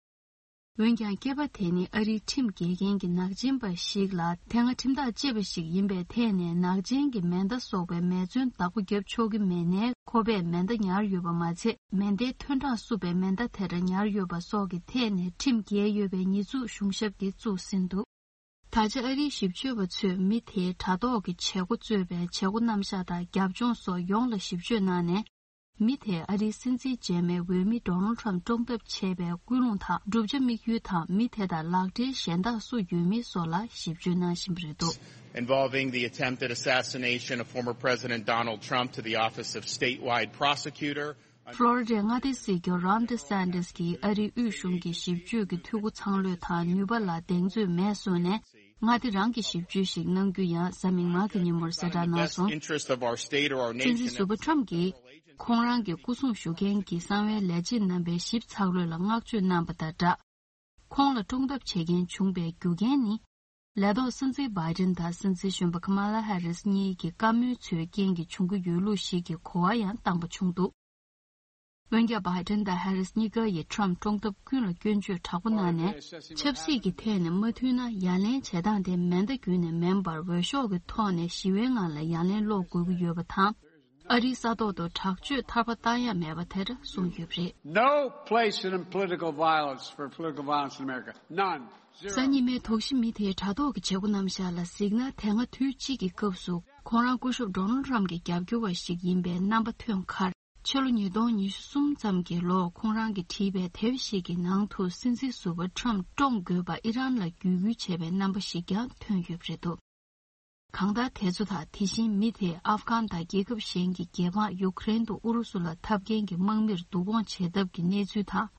འོན་ཀྱང་སྐྱེས་པ་དེ་ནི་ཨ་རིའི་ཁྲིམས་འགལ་མཁན་གྱི་ནག་ཅན་པ་ཞིག་ལ་དེ་སྔ་ཁྲིམས་ཐག་བཅད་པ་ཞིག་ཡིན་པའི་ཐད་ནས་ནག་ཅན་གྱི་མེ་མདའ་སོགས་པའི་མེ་མཚོན་བདག་པོ་བརྒྱབ་ཆོག་གི་མེད་ནའི་ཁོ་པས་མེ་མདའ་ཉར་ཡོད་པ་མ་ཚད་མེ་མདའི་ཐོན་གྲངས་བསུབས་པའི་མེ་མདའ་དེ་འདྲ་ཉར་ཡོད་པ་སོགས་ཀྱི་ཐད་ནས་ཁྲིམས་འགལ་ཡོད་པའི་ཉེས་འཛུགས་གཞུང་ཞབས་ཀྱིས་བཙུགས་ཟིན་འདུག་ད་ཆ་ཨ་རིའི་ཞིབ་དཔྱོད་པ་ཚོས་མི་དེའི་དྲ་ཐོག་གི་བྱེད་སྒོ་གཙོས་པའི་བྱེད་སྒོ་རྣམ་གཞག་དང་རྒྱབ་ལྗོངས་སོགས་ཡོངས་ལ་ཞིབ་དཔྱོད་གནང་ནས། མི་དེས་ཨ་རིའི་སྲིད་འཛིན་རྗེས་མའི་འོས་མི་ཌོ་ནལ་ཁྲམ་བཀྲོངས་ཐབས་བྱས་པའི་ཀུན་སློང་དང་བསྒྲུབ་བྱ་དམིགས་ཡུལ་དང་མི་དེ་དང་ལག་འབྲེལ་གཞན་དག་སུ་ཡོད་མེད་སོགས་ལ་ཞིབ་དཔྱོད་གནང་བཞིན་པ་རེད་འདུག involving the attempted assassination of former President Donald Trump to the office of statewide prosecutor. ཕློ་རི་ཌའི་མངའ་སྡེ་སྲིད་སྐྱོང་རོན་ཌི་སན་ཏི་སི་གིས་ཨ་རིའི་དབུས་གཞུང་གི་ཞིབ་དཔྱོད་ཀྱི་འཐུས་སྒོ་ཚང་ལོས་དང་ནུས་པ་ལ་གདེང་ཚོད་མེད་གསུངས་ནས། མངའ་སྡེ་རང་གི་ཞིབ་དཔྱོད་ཞིག་གནང་རྒྱུ་ཡང་གཟའ་མིག་དམར་གྱི་ཉིན་མོར་གསལ་བསྒྲགས་གནང་སོང་། སྲིད་འཛིན་ཟུར་པ་ཁྲམ་གྱིས་ཁོང་རང་གི་སྐུ་སྲུང་ཞུ་མཁན་གྱི་གསང་བའི་ལས་བྱེད་རྣམ་པའི་ཞིབ་ཚགས་ལོས་ལ་བསྔགས་བརྗོད་གནང་པ་དང་སྦྲགས། ཁོང་ལ་བཀྲོངས་ཐབས་བྱེད་མཁན་བྱུང་པའི་རྒྱུ་རྐྱེན་ནི། ལས་ཐོག་སྲིད་འཛིན་བྷའི་ཌེན་དང་སྲིད་འཛིན་གཞོན་པ་ཁ་མ་ལ་ཧེ་རིས་གཉིས་ཀྱི་བཀའ་མོལ་ཚོའི་རྐྱེན་གྱིས་བྱུང་གི་ཡོད་ལུགས་ཤིག་གི་གོ་བ་ཡང་བཏང་པ་བྱུང་འདུག་འོན་ཀྱང་བྷའི་ཌེན་དང་ཧེ་རིས་གཉིས་ཀ་ཡིས་ཁྲམ་བཀྲོངས་ཐབས་ཀུན་ལ་སྐྱོན་བརྗོད་དྲག་པོ་གནང་ནས། ཆབ་སྲིད་ཀྱི་ཐད་ནས་མ་མཐུན་ན་ཡ་ལན་བྱེད་སྟངས་དེ་མེ་མདའ་བརྒྱུད་ནས་མིན་པར་འོས་ཤོག་གི་ཐོག་ནས་ཞི་བའི་ངང་ལ་ཡ་ལན་སློག་དགོས་ཀྱི་ཡོད་པ་དང་། ཨ་རིའི་ས་ཐོག་ཏུ་དྲག་སྤྱོད་ཐར་པ་བཏང་ཡ་མེད་པ་དེར་གསུངས་ཡོད་པ་རེད། No place in political violence for political violence in America. None. Zero. གཟའ་ཉི་མའི་དོགས་གཞི་མི་དེའི་དྲ་ཐོག་གི་བྱེད་སྒོ་རྣམ་གཞག་ལ་གཟིགས་ན། དེ་སྔ་དུས་གཅིག་གི་སྐབས་སུ་ཁོང་རང་སྐུ་ཞབས་ཌོ་ནལ་ཊམ་གྱི་རྒྱབ་སྐྱོར་བ་ཞིག་ཡིན་པའི་རྣམ་པ་ཐོན་ཁར། ཕྱི་ལོ་ཉིས་སྟོང་ཉི་ཤུ་གསུམ་ཙམ་གྱི་ལོར་ཁོང་རང་གིས་བྲིས་པའི་དེབ་ཞིག་གི་ནང་དུ། སྲིད་འཛིན་ཟུར་པ་ཊམ་བཀྲོངས་དགོས་པ་ཨི་རན་ལ་བརྒྱུད་སྐུལ་བྱས་པའི་རྣམ་པ་ཞིག་ཀྱང་ཐོན་ཡོད་པ་རེད་འདུག་གང་ལྟར། དེ་ཚོ་དང་དེ་བཞིན་མི་དེས་ཨབ་གྷན་དང་རྒྱལ་ཁབ་གཞན་གྱི་རྒྱལ་འབངས་ཡུ་ཀེ་རེན་དུ་ཨུ་རུ་སུ་ལ་འཐབ་མཁན་གྱི་དམག་མིར་བསྡུ་སྐོང་བྱེད་ཐབས་ཀྱི་གནས་ཚུལ་དང་།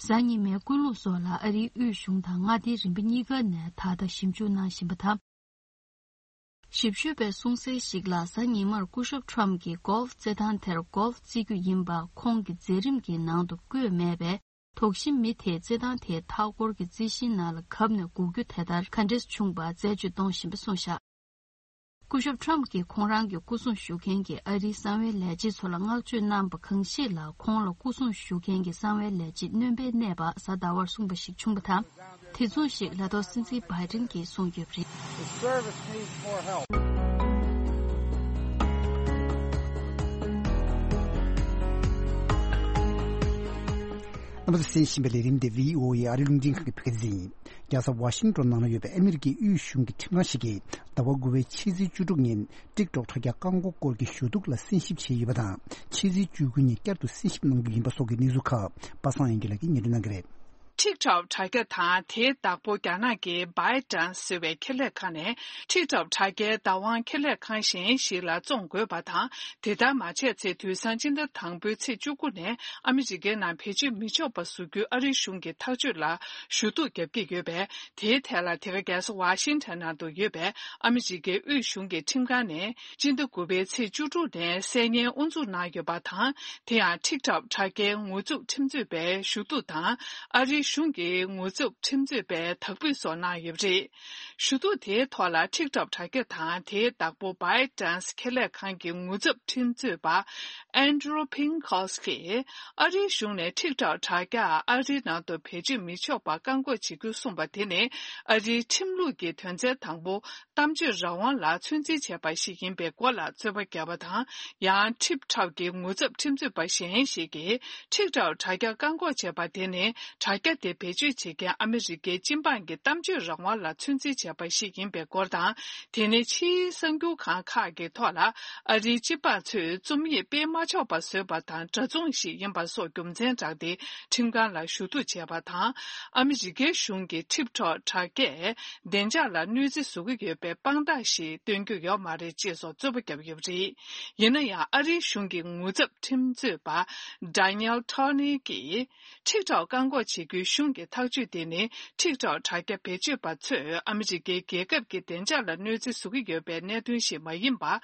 གཟའ་ཉི་མའི་ཀུན་སློང་སོགས་ལ་ཨ་རིའི་དབུས་གཞུང་དང་མངའ་སྡེའི་རིམ་པ་གཉིས་ཀ་ནས་ད་ལྟ་ཞིབ་འཇུག་གནང་བཞིན་པ་དང་། ཞིབ་དཔྱོད་པའི་གསུང་གསལ་ཞིག་ལ། གཟའ་ཉི་མར་སྐུ་ཞབས་ཊམ་གྱིས་གོལ་ཕ་རྩེད་ཐང་དེར་གོལ་ཕ་རྩེ་རྒྱུ་ཡིན་པ་ཁོང་གི་མཛད་རིམ་གྱི་ནང་དུ་བཀོད་མེད་པས། དོགས་གཞི་མི་དེས་རྩེད་ཐང་དེའི་མཐའ་འཁོར་གྱི་རྩི་ཤིང་ནང་ལ་གབ་ནས་འགུག་རྒྱུ་དེ་ལྟར་ག་འདྲས་བྱུང་བ་རྩད་གཅོད་གཏོང་བཞིན་པ་གསུངས་བཞག་སྐུ་ཞབས་ཊམ་གྱིས་ཁོང་རང་གི་སྐུ་སྲུང་ཞུ་མཁན་གྱི་ཨ་རིའི་གསང་བའི་ལས་བྱེད་ཚོ་ལ་བསྔགས་བརྗོད་གནང་པ་གང་ཞིག་ལ། ཁོང་ལ་སྐུ་སྲུང་ཞུ་མཁན་གྱི་གསང་བའི་ལས་བྱེད་སྣོན་པའི་གནས་པ་གཟའ་ཟླ་བར་གསུངས་པ་ཞིག་བྱུང་བ་དང་། དེ་མཚུངས་ཤིག་ལས་ཐོག་སྲིད་འཛིན་བྷའི་ཏིན་གྱིས་གསུངས་ཡོད་པ་རེད། The service needs more help. རྣམ་པ་ཚོས་གསན་བཞིན་པའི་ལས་རིམ་དེ་བྷི་ཨོ་ཨེ་ཨ་རིའི་རླུང་འཕྲིན་ཁང་གི་བོད་སྐད་སྡེ་ཚན་ཡིན། རྒྱལ་ས་ཝ་ཤིང་ཏོན་ནང་ལ་ཡོད་པའི་ཨ་མི་རི་ཀའི་དབུས་གཞུང་གི་ཁྲིམས་ཁང་ཞིག་གིས་ཟླ་བ་དགུ་པའི་ཕྱི་ཚེས་བཅུ་དྲུག་ཉིན་ཊིག་ཊོག་དྲ་རྒྱ་བཀག་འགོག་སྐོར་གྱི་ཞུ་གཏུག་ལ་གསན་ཞིབ་བྱས་ཡོད་པ་དང་། ཕྱི་ཚེས་བཅུ་དགུ་ཉིན་བསྐྱར་དུ་གསན་ཞིབ་གནང་རྒྱུ་ཡིན་པ་སོགས་ཀྱི་གནས་ཚུལ་ཁག་པ་སངས་དབྱངས་སྐྱིད་ལགས་ཀྱིས་སྙན་སྒྲོན་གནང་གི་རེད། ཊིག་ཊོག་དྲ་རྒྱ་དང་དེའི་བདག་པོ་རྒྱ་ནག་གི་བྷའི་ཏན་སི་ཟེར་བའི་ཁེ་ལས་ཁང་ནས་ཊིག་ཊོག་དྲ་རྒྱའི་བདག་དབང་ཁེ་ལས་ཁང་གཞན་ཞིག་ལ་བཙོང་དགོས་པ་དང་། དེ་ལྟར་མ་བྱས་ཚེ་དུས་སང་སྤྱི་ཟླ་དང་པོའི་ཚེས་བཅུ་དགུ་ནས་ཨ་མི་རི་ཀའི་ནང་བེད་སྤྱོད་མི་ཆོག་པ་བཟོ་རྒྱུའི་ཨ་རིའི་གཞུང་གི་ཐག་གཅོད་ལ་ཞུ་གཏུག་བརྒྱབ་ཀྱི་ཡོད་པས། དེའི་ཐད་ལ་དེ་ག་རྒྱལ་ས་ཝ་ཤིང་ཊོན་ནང་དུ་ཡོད་པའི་ཨ་མི་རི་ཀའི་དབུས་གཞུང་གི་ཁྲིམས་ཁང་ནས་སྤྱི་ཟླ་དགུ་པའི་ཚེས་བཅུ་དྲུག་ནས་གསལ་སྙན་དབུ་འཛུགས་གནང་ཡོད་པ་དང་། དེ་ཡང་ཊིག་ཊོག་དྲ་རྒྱའི་ངོ་བཙུགས་ཁྲིམས་རྩོད་པས་ཞུ་གཏུག་དང་། ཨ་རིའི་གཞུང་གི་ངོ་བཙུགས་ཁྲིམས་རྩོད་པས་དག་འབུད་སོགས་གནང་ཡོད་པ་རེད། ཞུ་གཏུག་དེའི་ཐོག་ལ་ཊིག་ཊོག་དྲ་རྒྱ་དང་དེའི་བདག་པོ་བྷའི་ཏན་སི་ཁེ་ལས་ཁང་གི་ངོ་ཚབ་ཁྲིམས་རྩོད་པ་ཨན་ཌྲུ་ཕིང་ཁོ་སི་ཀིས་ཨ་རིའི་གཞུང་ནས་ཊིག་ཊོག་དྲ་རྒྱ་ཨ་རིའི་ནང་དུ་བེད་སྤྱོད་མི་ཆོག་པ་བཀག་འགོག་བྱེད་རྒྱུ་གསུངས་པ་དེ་ནི། ཨ་རིའི་ཁྲིམས་ལུགས་ཀྱི་དོན་ཚན་དང་པོ། གཏམ་བརྗོད་རང་དབང་ལ་ཚོད་འཛིན་བྱས་པ་ཞིག་ཡིན་པའི་སྐོར་ལ་རྩོད་པ་བརྒྱབ་པ་དང་། ཡང་ཊིག་ཊོག་གི་ངོ་ཚབ་ཁྲིམས་རྩོད་པ་གཞན་ཞིག་གིས་ཊིག་ཊོག་དྲ་རྒྱ་བཀག་འགོག་བྱས་པ་དེ་ནི། དྲ་རྒྱ་དེ་བེད་སྤྱོད་བྱེད་མཁན་ཨ་མི་རི་ཀའི་སྤྱི་འབངས་ཀྱི་གཏམ་བརྗོད་རང་དབང་ལ་ཚོད་འཛིན་བྱས་པ་ཞིག་ཡིན་པའི་སྐོར་དང་། དེ་ནི་ཕྱིའི་གསར་འགྱུར་ཁང་ཁག་གི་ཐོག་ལ་ཨ་རིའི་སྤྱི་འབངས་ཚོས་རྩོམ་ཡིག་སྤེལ་མ་ཆོག་པ་བཟོས་པ་དང་། འདྲ་མཚུངས་ཤིག་ཡིན་པ་སོགས་རྒྱུ་མཚན་བགྲངས་ཏེ། ཁྲིམས་ཁང་ལ་ཞུ་གཏུག་བྱས་པ་དང་། ཨ་མི་རི་ཀའི་གཞུང་གིས་ཊིག་ཊོག་དྲ་རྒྱས་བདེ་འཇགས་ལ་གནོད་འཚེ་བཟོ་གི་ཡོད་པའི་དཔང་རྟགས་ཤིག་སྟོན་རྒྱུ་ཡོད་མ་རེད་ཅེས་སོགས་རྩོད་པ་བརྒྱབ་ཡོད་པ་རེད། ཡིན་ན་ཡང་། ཨ་རིའི་གཞུང་གི་ངོ་ཚབ་ཁྲིམས་རྩོད་པ་ཌེ་ནི་ཡལ་ཊོ་ནི་གིས། ཊིག་ཊོག་བཀག་འགོག་བྱེད་རྒྱུའི་གཞུང་གི་ཐག་གཅོད་དེ་ནི། ཊིག་ཊོག་དྲ་རྒྱ་བེད་སྤྱོད་པ་ཚོས་ཨ་མི་རི་ཀའི་རྒྱལ་ཁབ་ཀྱི་བདེ་འཇགས་ལ་གནོད་འཚེ་བཟོ་གི་ཡོད་པའི་གནད་དོན་ཞིག་མ་ཡིན་པ།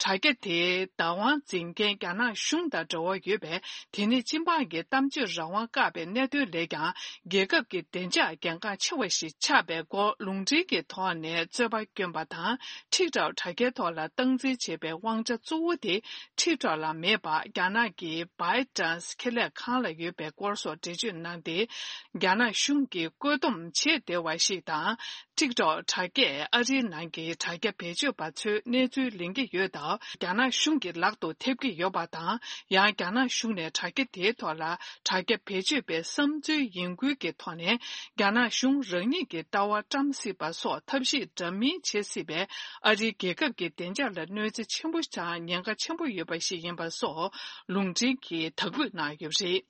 དྲ་རྒྱ་དེའི་བདག་དབང་འཛིན་མཁན་རྒྱ་ནག་གཞུང་དང་འབྲེལ་བ་ཡོད་པས། དེ་ནི་སྤྱི་འབངས་ཀྱི་གཏམ་བརྗོད་རང་དབང་བཀག་པའི་གནད་དོན་ལས་ཀྱང་། རྒྱལ་ཁབ་ཀྱི་བདེ་འཇགས་གལ་འགངས་ཆེ་བ་ཞིག་ཆགས་པའི་སྐོར་ལུང་འདྲེན་གྱི་ཐོག་ནས་རྩོད་པ་བསྐྱོན་པ་དང་། ཊིག་ཊོག་དྲ་རྒྱའི་ཐོག་ལ་སྟངས་འཛིན་བྱེད་པའི་དབང་ཆ་གཙོ་བོ་དེ། ཊིག་ཊོག་ལ་མེད་པ། རྒྱ་ནག་གི་བྷའི་ཏན་སི་ཁེ་ལས་ཁང་ལ་ཡོད་པའི་སྐོར་སོགས་འགྲེལ་བརྗོད་གནང་སྟེ། རྒྱ་ནག་གཞུང་གིས་བཀོད་འདོམས་བྱེད་བདེ་བ་ཞིག་དང་། ཊིག་ཊོག་དྲ་རྒྱས་ཨ་རིའི་ནང་གི་དྲ་རྒྱ་བེད་སྤྱོད་པ་ཚོའི་གནས་ཚུལ་ལེན་གྱི་ཡོད་སྟབས། རྒྱ་ནག་གཞུང་གི་ལག་ཏུ་ཐེབས་ཀྱི་ཡོད་པ་དང་། ཡང་རྒྱ་ནག་གཞུང་ནས་དྲ་རྒྱ་དེའི་ཐོག་ལ་དྲ་རྒྱ་བེད་སྤྱོད་པའི་བསམ་ཚུལ་ཡིན་ཁུལ་གྱི་ཐོག་ནས། རྒྱ་ནག་གཞུང་རང་ཉིད་ཀྱི་ལྟ་བ་བཀྲམ་སྲིད་པ་སོགས་ཐབས་ཤེས་འདྲ་མིན་བྱེད་སྲིད་པས། ཨ་རིའི་རྒྱལ་ཁབ་ཀྱི་བདེ་འཇགས་ལ་གནོད་འཚེ་ཆེན་པོ་དང་ཉེན་ཁ་ཆེན་པོ་ཡོད་པ་ཞིག་ཡིན་པ་སོགས་ལུང་འདྲེན་གྱིས་དག་འབུད་གནང་ཡོད་པ་རེད།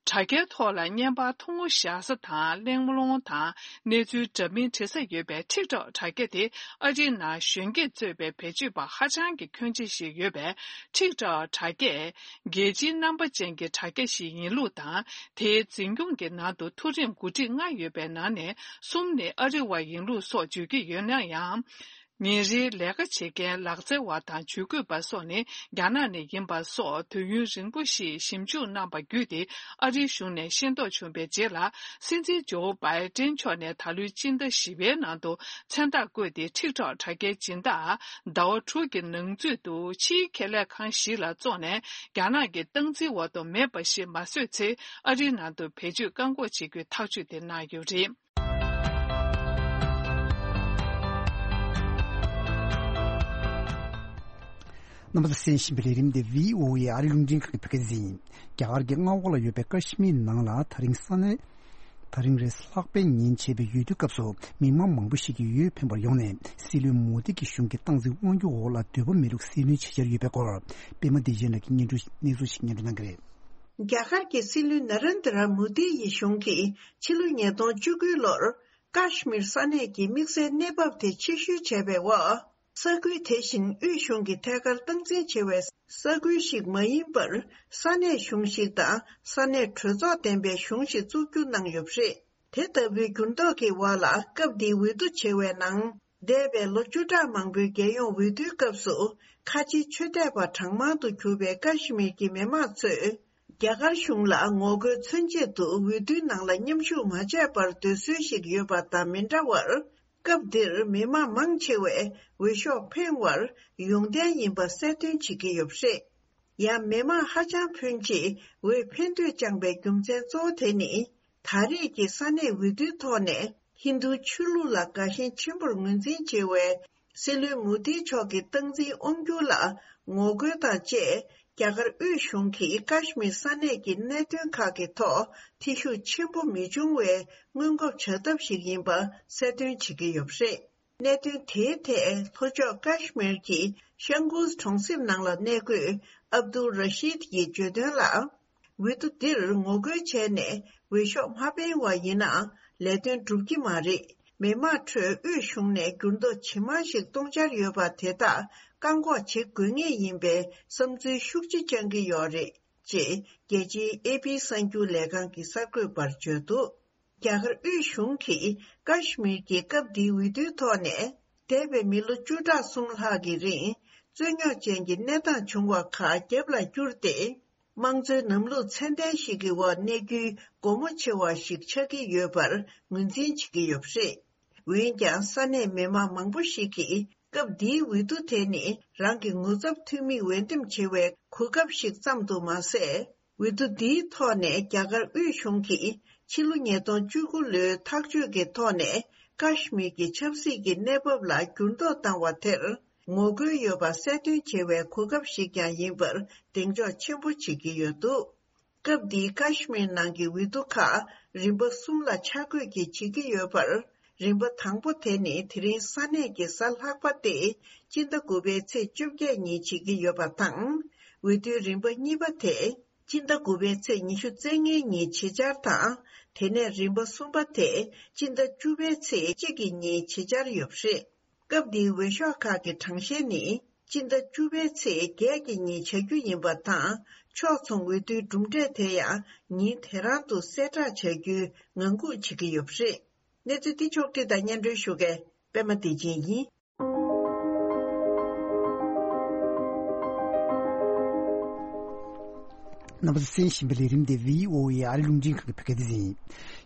དྲ་རྒྱའི་ཐོག་ལ་བརྙན་པར་ཐུང་ངུ་བཞག་ས་དང་། གླེང་སློང་དང་གནས་ཚུལ་འདྲ་མིན་འབྲི་ས་ཡོད་པའི་ཊིག་ཊོག་དྲ་རྒྱ་དེ་ཨ་རིའི་ནང་གཞོན་སྐྱེས་གཙོས་པའི་བེད་སྤྱོད་པ་ཧ་ཅང་གི་ཁྱོན་ཆེ་ཞིག་ཡོད་པས། ཊིག་ཊོག་དྲ་རྒྱས་རྒྱལ་སྤྱིའི་རྣམ་པ་ཅན་གྱི་དྲ་རྒྱ་ཞིག་ཡིན་ལུགས་དང་། དེའི་འཛིན་སྐྱོང་གི་ནང་དུ་མཐོ་རིམ་འགོ་ཁྲིད་ལྔ་ཡོད་པའི་ནང་ནས་གསུམ་ནི་ཨ་རི་བ་ཡིན་ལུགས་སོགས་བརྗོད་ཀྱི་ཡོད་ན་ཡང་། ཉིན་རེའི་ལས་ཀ་བྱེད་མཁན་ལག་རྩལ་བ་དང་ཇུས་འགོད་པ་སོགས་ནི་རྒྱ་ནག་ནས་ཡིན་པ་སོགས་དུས་ཡུན་རིང་པོ་ཞིག་ཞིབ་འཇུག་གནང་པ་བརྒྱུད་དེ། ཨ་རིའི་གཞུང་ནས་ཤེས་རྟོགས་བྱུང་བའི་རྗེས་ལ། སྲིད་འཛིན་ཇོ་བྷའི་ཏིན་མཆོག་ནས་ད་ལོའི་སྤྱི་ཟླ་བཞི་པའི་ནང་དུ་མཚན་རྟགས་བཀོད་དེ། ཊིག་ཊོག་དྲ་རྒྱའི་སྦྱིན་བདག་ཟླ་བ་དྲུག་གི་ནང་ཚུད་དུ་ཕྱིའི་ཁེ་ལས་ཁང་ཞིག་ལ་བཙོངས་ནས། རྒྱ་ནག་གི་སྟངས་འཛིན་འོག་ཏུ་མེད་པ་ཞིག་མ་བཟོས་ཚེ། ཨ་རིའི་ནང་དུ་བེད་སྤྱོད་བཀག་འགོག་བྱེད་རྒྱུའི་ཐག་གཅོད་དེ་གནང་ཡོད་པ་རེད། རྣམ་པ་ཚོས་གསན་བཞིན་པའི་ལས་རིམ་དེ་བྷི་ཨོ་ཨེ་ཨ་རིའི་རླུང་འཕྲིན་ཁང་གི་བོད་སྐད་སྡེ་ཚན་ཡིན། རྒྱ་གར་གྱི་མངའ་འོག་ལ་ཡོད་པའི་ཀ་ཤི་མིར་ནང་ལ་ད་རིང་ས་གནས། ད་རིང་རེས་གཟའ་ལྷག་པའི་ཉིན་བྱས་པའི་འོས་བསྡུའི་སྐབས་སུ་མི་མང་མང་པོ་ཞིག་གིས་འོས་འཕེན་པར་ཡོང་ནས་སྲིད་བློན་མོ་དི་གི་གཞུང་གི་སྟངས་འཛིན་དབང་སྒྱུར་འོག་ལ་འདོད་པ་མེད་ལུགས་སྲིད་བློན་བྱེད་འཆར་ཡོད་པའི་སྐོར། པད་མ་བདེ་ཆེན་ལགས་ཀྱིས་སྙན་སྒྲོན་གནས་ཚུལ་ཞིག་སྙན་སྒྲོན་གནང་གི་རེད། རྒྱ་གར་གྱི་སྲིད་བློན་ན་རེན་དྲ་མོ་དི་ཡི་གཞུང་གིས་ཕྱི་ལོ་ཉིས་སྟོང་བཅུ་དགུ་ལོར་ཀ་ཤི་མིར་ས་གནས་ཀྱི་དམིགས་བསལ་གནས་བབ་དེ་ཕྱིར་བཤོལ་བྱས་པའི་འོག་ས་ཁུལ་དེ་བཞིན་དབུས་གཞུང་གི་ཐད་ཀར་སྟངས་འཛིན་བྱེད་པའི་ས་ཁུལ་ཞིག་མ་ཡིན་པར་ས་གནས་གཞུང་ཞིག་དང་ས་གནས་གྲོས་ཚོགས་ལྡན་པའི་གཞུང་ཞིག་བཙུགས་རྒྱུ་གནང་ཡོད་པ་རེད། དེ་ལྟ་བུའི་འགྱུར་ལྡོག་གི་འོག་ལ་སྐབས་འདིའི་འོས་བསྡུ་བྱེད་པའི་ནང་འདས་པའི་ལོ་བཅུ་ཕྲག་མང་པོའི་རྒྱལ་ཡོངས་འོས་བསྡུའི་སྐབས་སུ་ཁ་ཆེའི་ཆོས་དད་པ་གྲངས་མང་དུ་གྱུར་པའི་ཀ་ཤི་མིར་གྱི་མི་མང་ཚོས་རྒྱ་གར་གཞུང་ལ་ངོ་རྒོལ་མཚོན་ཆེད་དུ་འོས་བསྡུའི་ནང་ལ་མཉམ་ཞུགས་མ་བྱས་པར་སྡོད་སྲོལ་ཞིག་ཡོད་པ་དང་མི་འདྲ་བར། སྐབས་འདིར་མི་མང་མང་ཆེ་བས་འོས་ཤོག་འཕེན་བར་ཡོང་གཏན་ཡིན་པ་གསལ་སྟོན་བྱེད་ཀྱི་ཡོད་པ་རེད། ཡང་མི་མང་ཧ་ཅང་ཕོན་ཆེས་འོས་འཕེན་འདོད་བཅངས་པའི་རྒྱུ་མཚན་གཙོ་བོ་དེ་ནི། ད་རེས་ཀྱི་ས་གནས་འོས་བསྡུའི་ཐོག་ནས་ཧིན་རྡུ་ཆོས་ལུགས་ལ་དགའ་ཞེན་ཆེན་པོར་ངོས་འཛིན་བྱེད་པའི་སྲིད་བློན་མོ་དི་མཆོག་གི་སྟངས་འཛིན་དབང་སྒྱུར་ལ་ངོ་རྒོལ་དང་བཅས། རྒྱ་གར་དབུས་གཞུང་གིས་ཀ་ཤི་མིར་ས་གནས་ཀྱི་གནད་དོན་ཁག་གི་ཐོག་ཐེ་ཞུགས་ཆེན་པོ་མི་འབྱུང་བའི་སྔོན་འགོག་བྱ་ཐབས་ཤིག་ཡིན་པ་གསལ་སྟོན་བྱེད་ཀྱི་ཡོད་པ་རེད། གནད་དོན་དེའི་ཐད་ལྷོ་ཕྱོགས་ཀ་ཤི་མིར་གྱི་ཤང་གུས་གྲོང་གསེབ་ནང་ལ་གནས་འཁོད་ཨབ་དུལ་ར་ཤིད་ཀྱིས་བརྗོད་དོན་ལ། འོས་བསྡུ་འདིར་ངོ་རྒོལ་བྱས་ནས་འོས་ཤོག་མ་འཕེན་བ་ཡིན་ན་ལས་དོན་འགྲུབ་ཀྱི་མ་རེད། མི་མང་ཁྲོད་དབུས་གཞུང་ནས་འགྱུར་ལྡོག་ཇི་མང་ཞིག་གཏོང་འཆར་ཡོད་པ་དེ་དག་བཀག་འགོག་བྱེད་དགོས་ངེས་ཡིན་པའི་བསམ་ཚུལ་ཤུགས་ཆེ་བཅང་གི་ཡོད་རེད། ཅེས་རྒྱལ་སྤྱིའི་ཨེ་པི་གསར་འགྱུར་ལས་ཁང་གི་གསར་འགོད་པར་བརྗོད་འདུག་རྒྱ་གར་དབུས་གཞུང་གིས་ཀ་ཤི་མིར་གྱི་སྐབས་འདིའི་འོས་བསྡུའི་ཐོག་ནས་འདས་པའི་མི་ལོ་བཅུ་ཕྲག་གསུམ་ལྷག་གི་རིང་རྩོད་རྙོག་ཅན་གྱི་གནས་སྟངས་བྱུང་བ་ཁག་རྒྱབ་ལ་བསྐྱུར་ཏེ། དམངས་གཙོའི་ལམ་ལུགས་ཚད་ལྡན་ཞིག་གི་འོག་གནས་རྒྱུའི་སྒོ་མོ་ཕྱེ་བ་ཞིག་ཆགས་ཀྱི་ཡོད་པར་ངོས་འཛིན་བྱེད་ཀྱི་ཡོད་པ་རེད། འོན་ཀྱང་ས་གནས་མི་མང་མང་པོ་ཞིག་གིས་སྐབས་འདིའི་འོས་བསྡུ་དེ་ནི་རང་གི་ངོ་ཚབ་འཐུས་མི་འོས་འདེམས་བྱེད་པའི་གོ་སྐབས་ཤིག་ཙམ་དུ་མ་ཟད། འོས་བསྡུ་འདིའི་ཐོག་ནས་རྒྱ་གར་དབུས་གཞུང་གིས་ཕྱི་ལོ་ཉིས་སྟོང་བཅུ་དགུ་ལོའི་ཐག་གཅོད་ཀྱི་ཐོག་ནས་ཀ་ཤི་མིར་གྱི་ཆབ་སྲིད་ཀྱི་གནས་བབ་ལ་འགྱུར་ལྡོག་བཏང་བ་དེར་ངོ་རྒོལ་ཡོད་པ་གསལ་སྟོན་བྱེད་པའི་གོ་སྐབས་ཤིག་ཀྱང་ཡིན་པར་གདེང་འཇོག་ཆེན་པོ་བྱེད་ཀྱི་ཡོད་འདུག་སྐབས་འདིའི་ཀ་ཤི་མིར་ནང་གི་འོས་བསྡུ་ཁག་རིམ་པ་གསུམ་ལ་ཆ་བགོས་ཀྱིས་བྱེད་ཀྱི་ཡོད་པར། རིམ་པ་དང་པོ་དེ་ནི་དེ་རིང་ས་གནས་ཀྱི་གཟའ་ལྷག་པ་སྟེ་སྤྱི་ཟླ་དགུ་པའི་ཚེས་བཅོ་བརྒྱད་ཉིན་བྱེད་ཀྱི་ཡོད་པ་དང་། འོས་བསྡུའི་རིམ་པ་གཉིས་པ་དེ་སྤྱི་ཟླ་དགུ་པའི་ཚེས་ཉི་ཤུ་རྩ་ལྔའི་ཉིན་བྱེད་འཆར་དང་། དེ་ནས་རིམ་པ་གསུམ་པ་དེ་སྤྱི་ཟླ་བཅུ་པའི་ཚེས་གཅིག་གི་ཉིན་བྱེད་འཆར་ཡོད་པ་རེད། སྐབས་འདིའི་འོས་ཤོག་ཁག་གི་གྲངས་བཤེར་ནི་སྤྱི་ཟླ་བཅུ་པའི་ཚེས་བརྒྱད་ཀྱི་ཉིན་བྱ་རྒྱུ་ཡིན་པ་དང་། ཕྱོགས་མཚུངས་འོས་བསྡུའི་གྲུབ་འབྲས་དེ་ཡང་ཉིན་དེ་རང་དུ་གསལ་བསྒྲགས་བྱ་རྒྱུའི་ངང་སྒུག་བྱེད་ཀྱི་ཡོད་པ་རེད། གནས་ཚུལ་འདི་ཕྱོགས་བསྒྲིགས་དང་སྙན་སྒྲོན་ཞུ་མཁན་པད་མ་བདེ་ཆེན་ཡིན། རྣམ་པ་ཚོས་གསན་བཞིན་པའི་ལས་རིམ་དེ་བྷི་ཨོ་ཨེ་ཨ་རིའི་རླུང་འཕྲིན་ཁང་གི་བོད་སྐད་སྡེ་ཚན་ཡིན།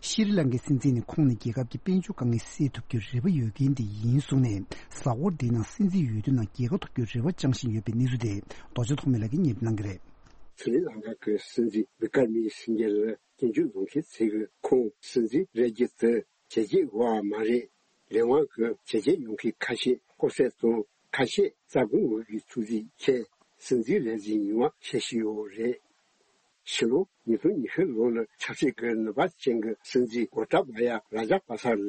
ཤྲི་ལང་ཀའི་སྲིད་འཛིན་ནི་ཁོང་ནས་རྒྱལ་ཁབ་ཀྱི་དཔལ་འབྱོར་དཀའ་ངལ་སེལ་ཐུབ་རྒྱུའི་རེ་བ་ཡོད་མཁན་དེ་ཡིན་གསུངས་ནས། གཟའ་འཁོར་འདིའི་ནང་སྲིད་འཛིན་འོས་བསྡུ་ནང་རྒྱལ་ཁ་ཐོབ་རྒྱུའི་རེ་བ་བཅངས་བཞིན་ཡོད་པའི་གནས་ཚུལ་དེ་རྡོ་རྗེ་ཐོགས་མེད་ལགས་ཀྱིས་སྙན་སྒྲོན་གནང་གི་རེད། ཤྲི་ལང་ཀ་གི་སྲིད་འཛིན་བི་ཀར་མི་སིང་གེ་ལ་སྐྱོན་བརྗོད་བཟོ་མཁན་ཚོས་ཁོང་སྲིད་འཛིན་རེད་རྒྱུ་དེ་བྱས་རྗེས་ཡོད་པ་མ་རེད། ལས་དབང་གི་བྱས་རྗེས་ཡོང་མཁན་ཁ་ཤས་ལྐོག་ཟ་དང་ཁ་ཤས་རྩ་དགོངས་འོས་ཀྱི་ཐུགས་རྗེ་ཆེ། སྲིད་འཛིན་ལས་འཛིན་ཡོང་བ་ཤེས་བཞིན་ཡོད་རེད། ཕྱི་ལོ་ཉིས་སྟོང་ཉི་ཤུ་ལོ་ལ་ཆབ་སྲིད་ཀྱི་ནུས་པ་ཅན་གྱི་སྲིད་འཛིན་གོ་ཏཱ་བ་ཡ་རཱ་ཇ་པ་ས་ལ་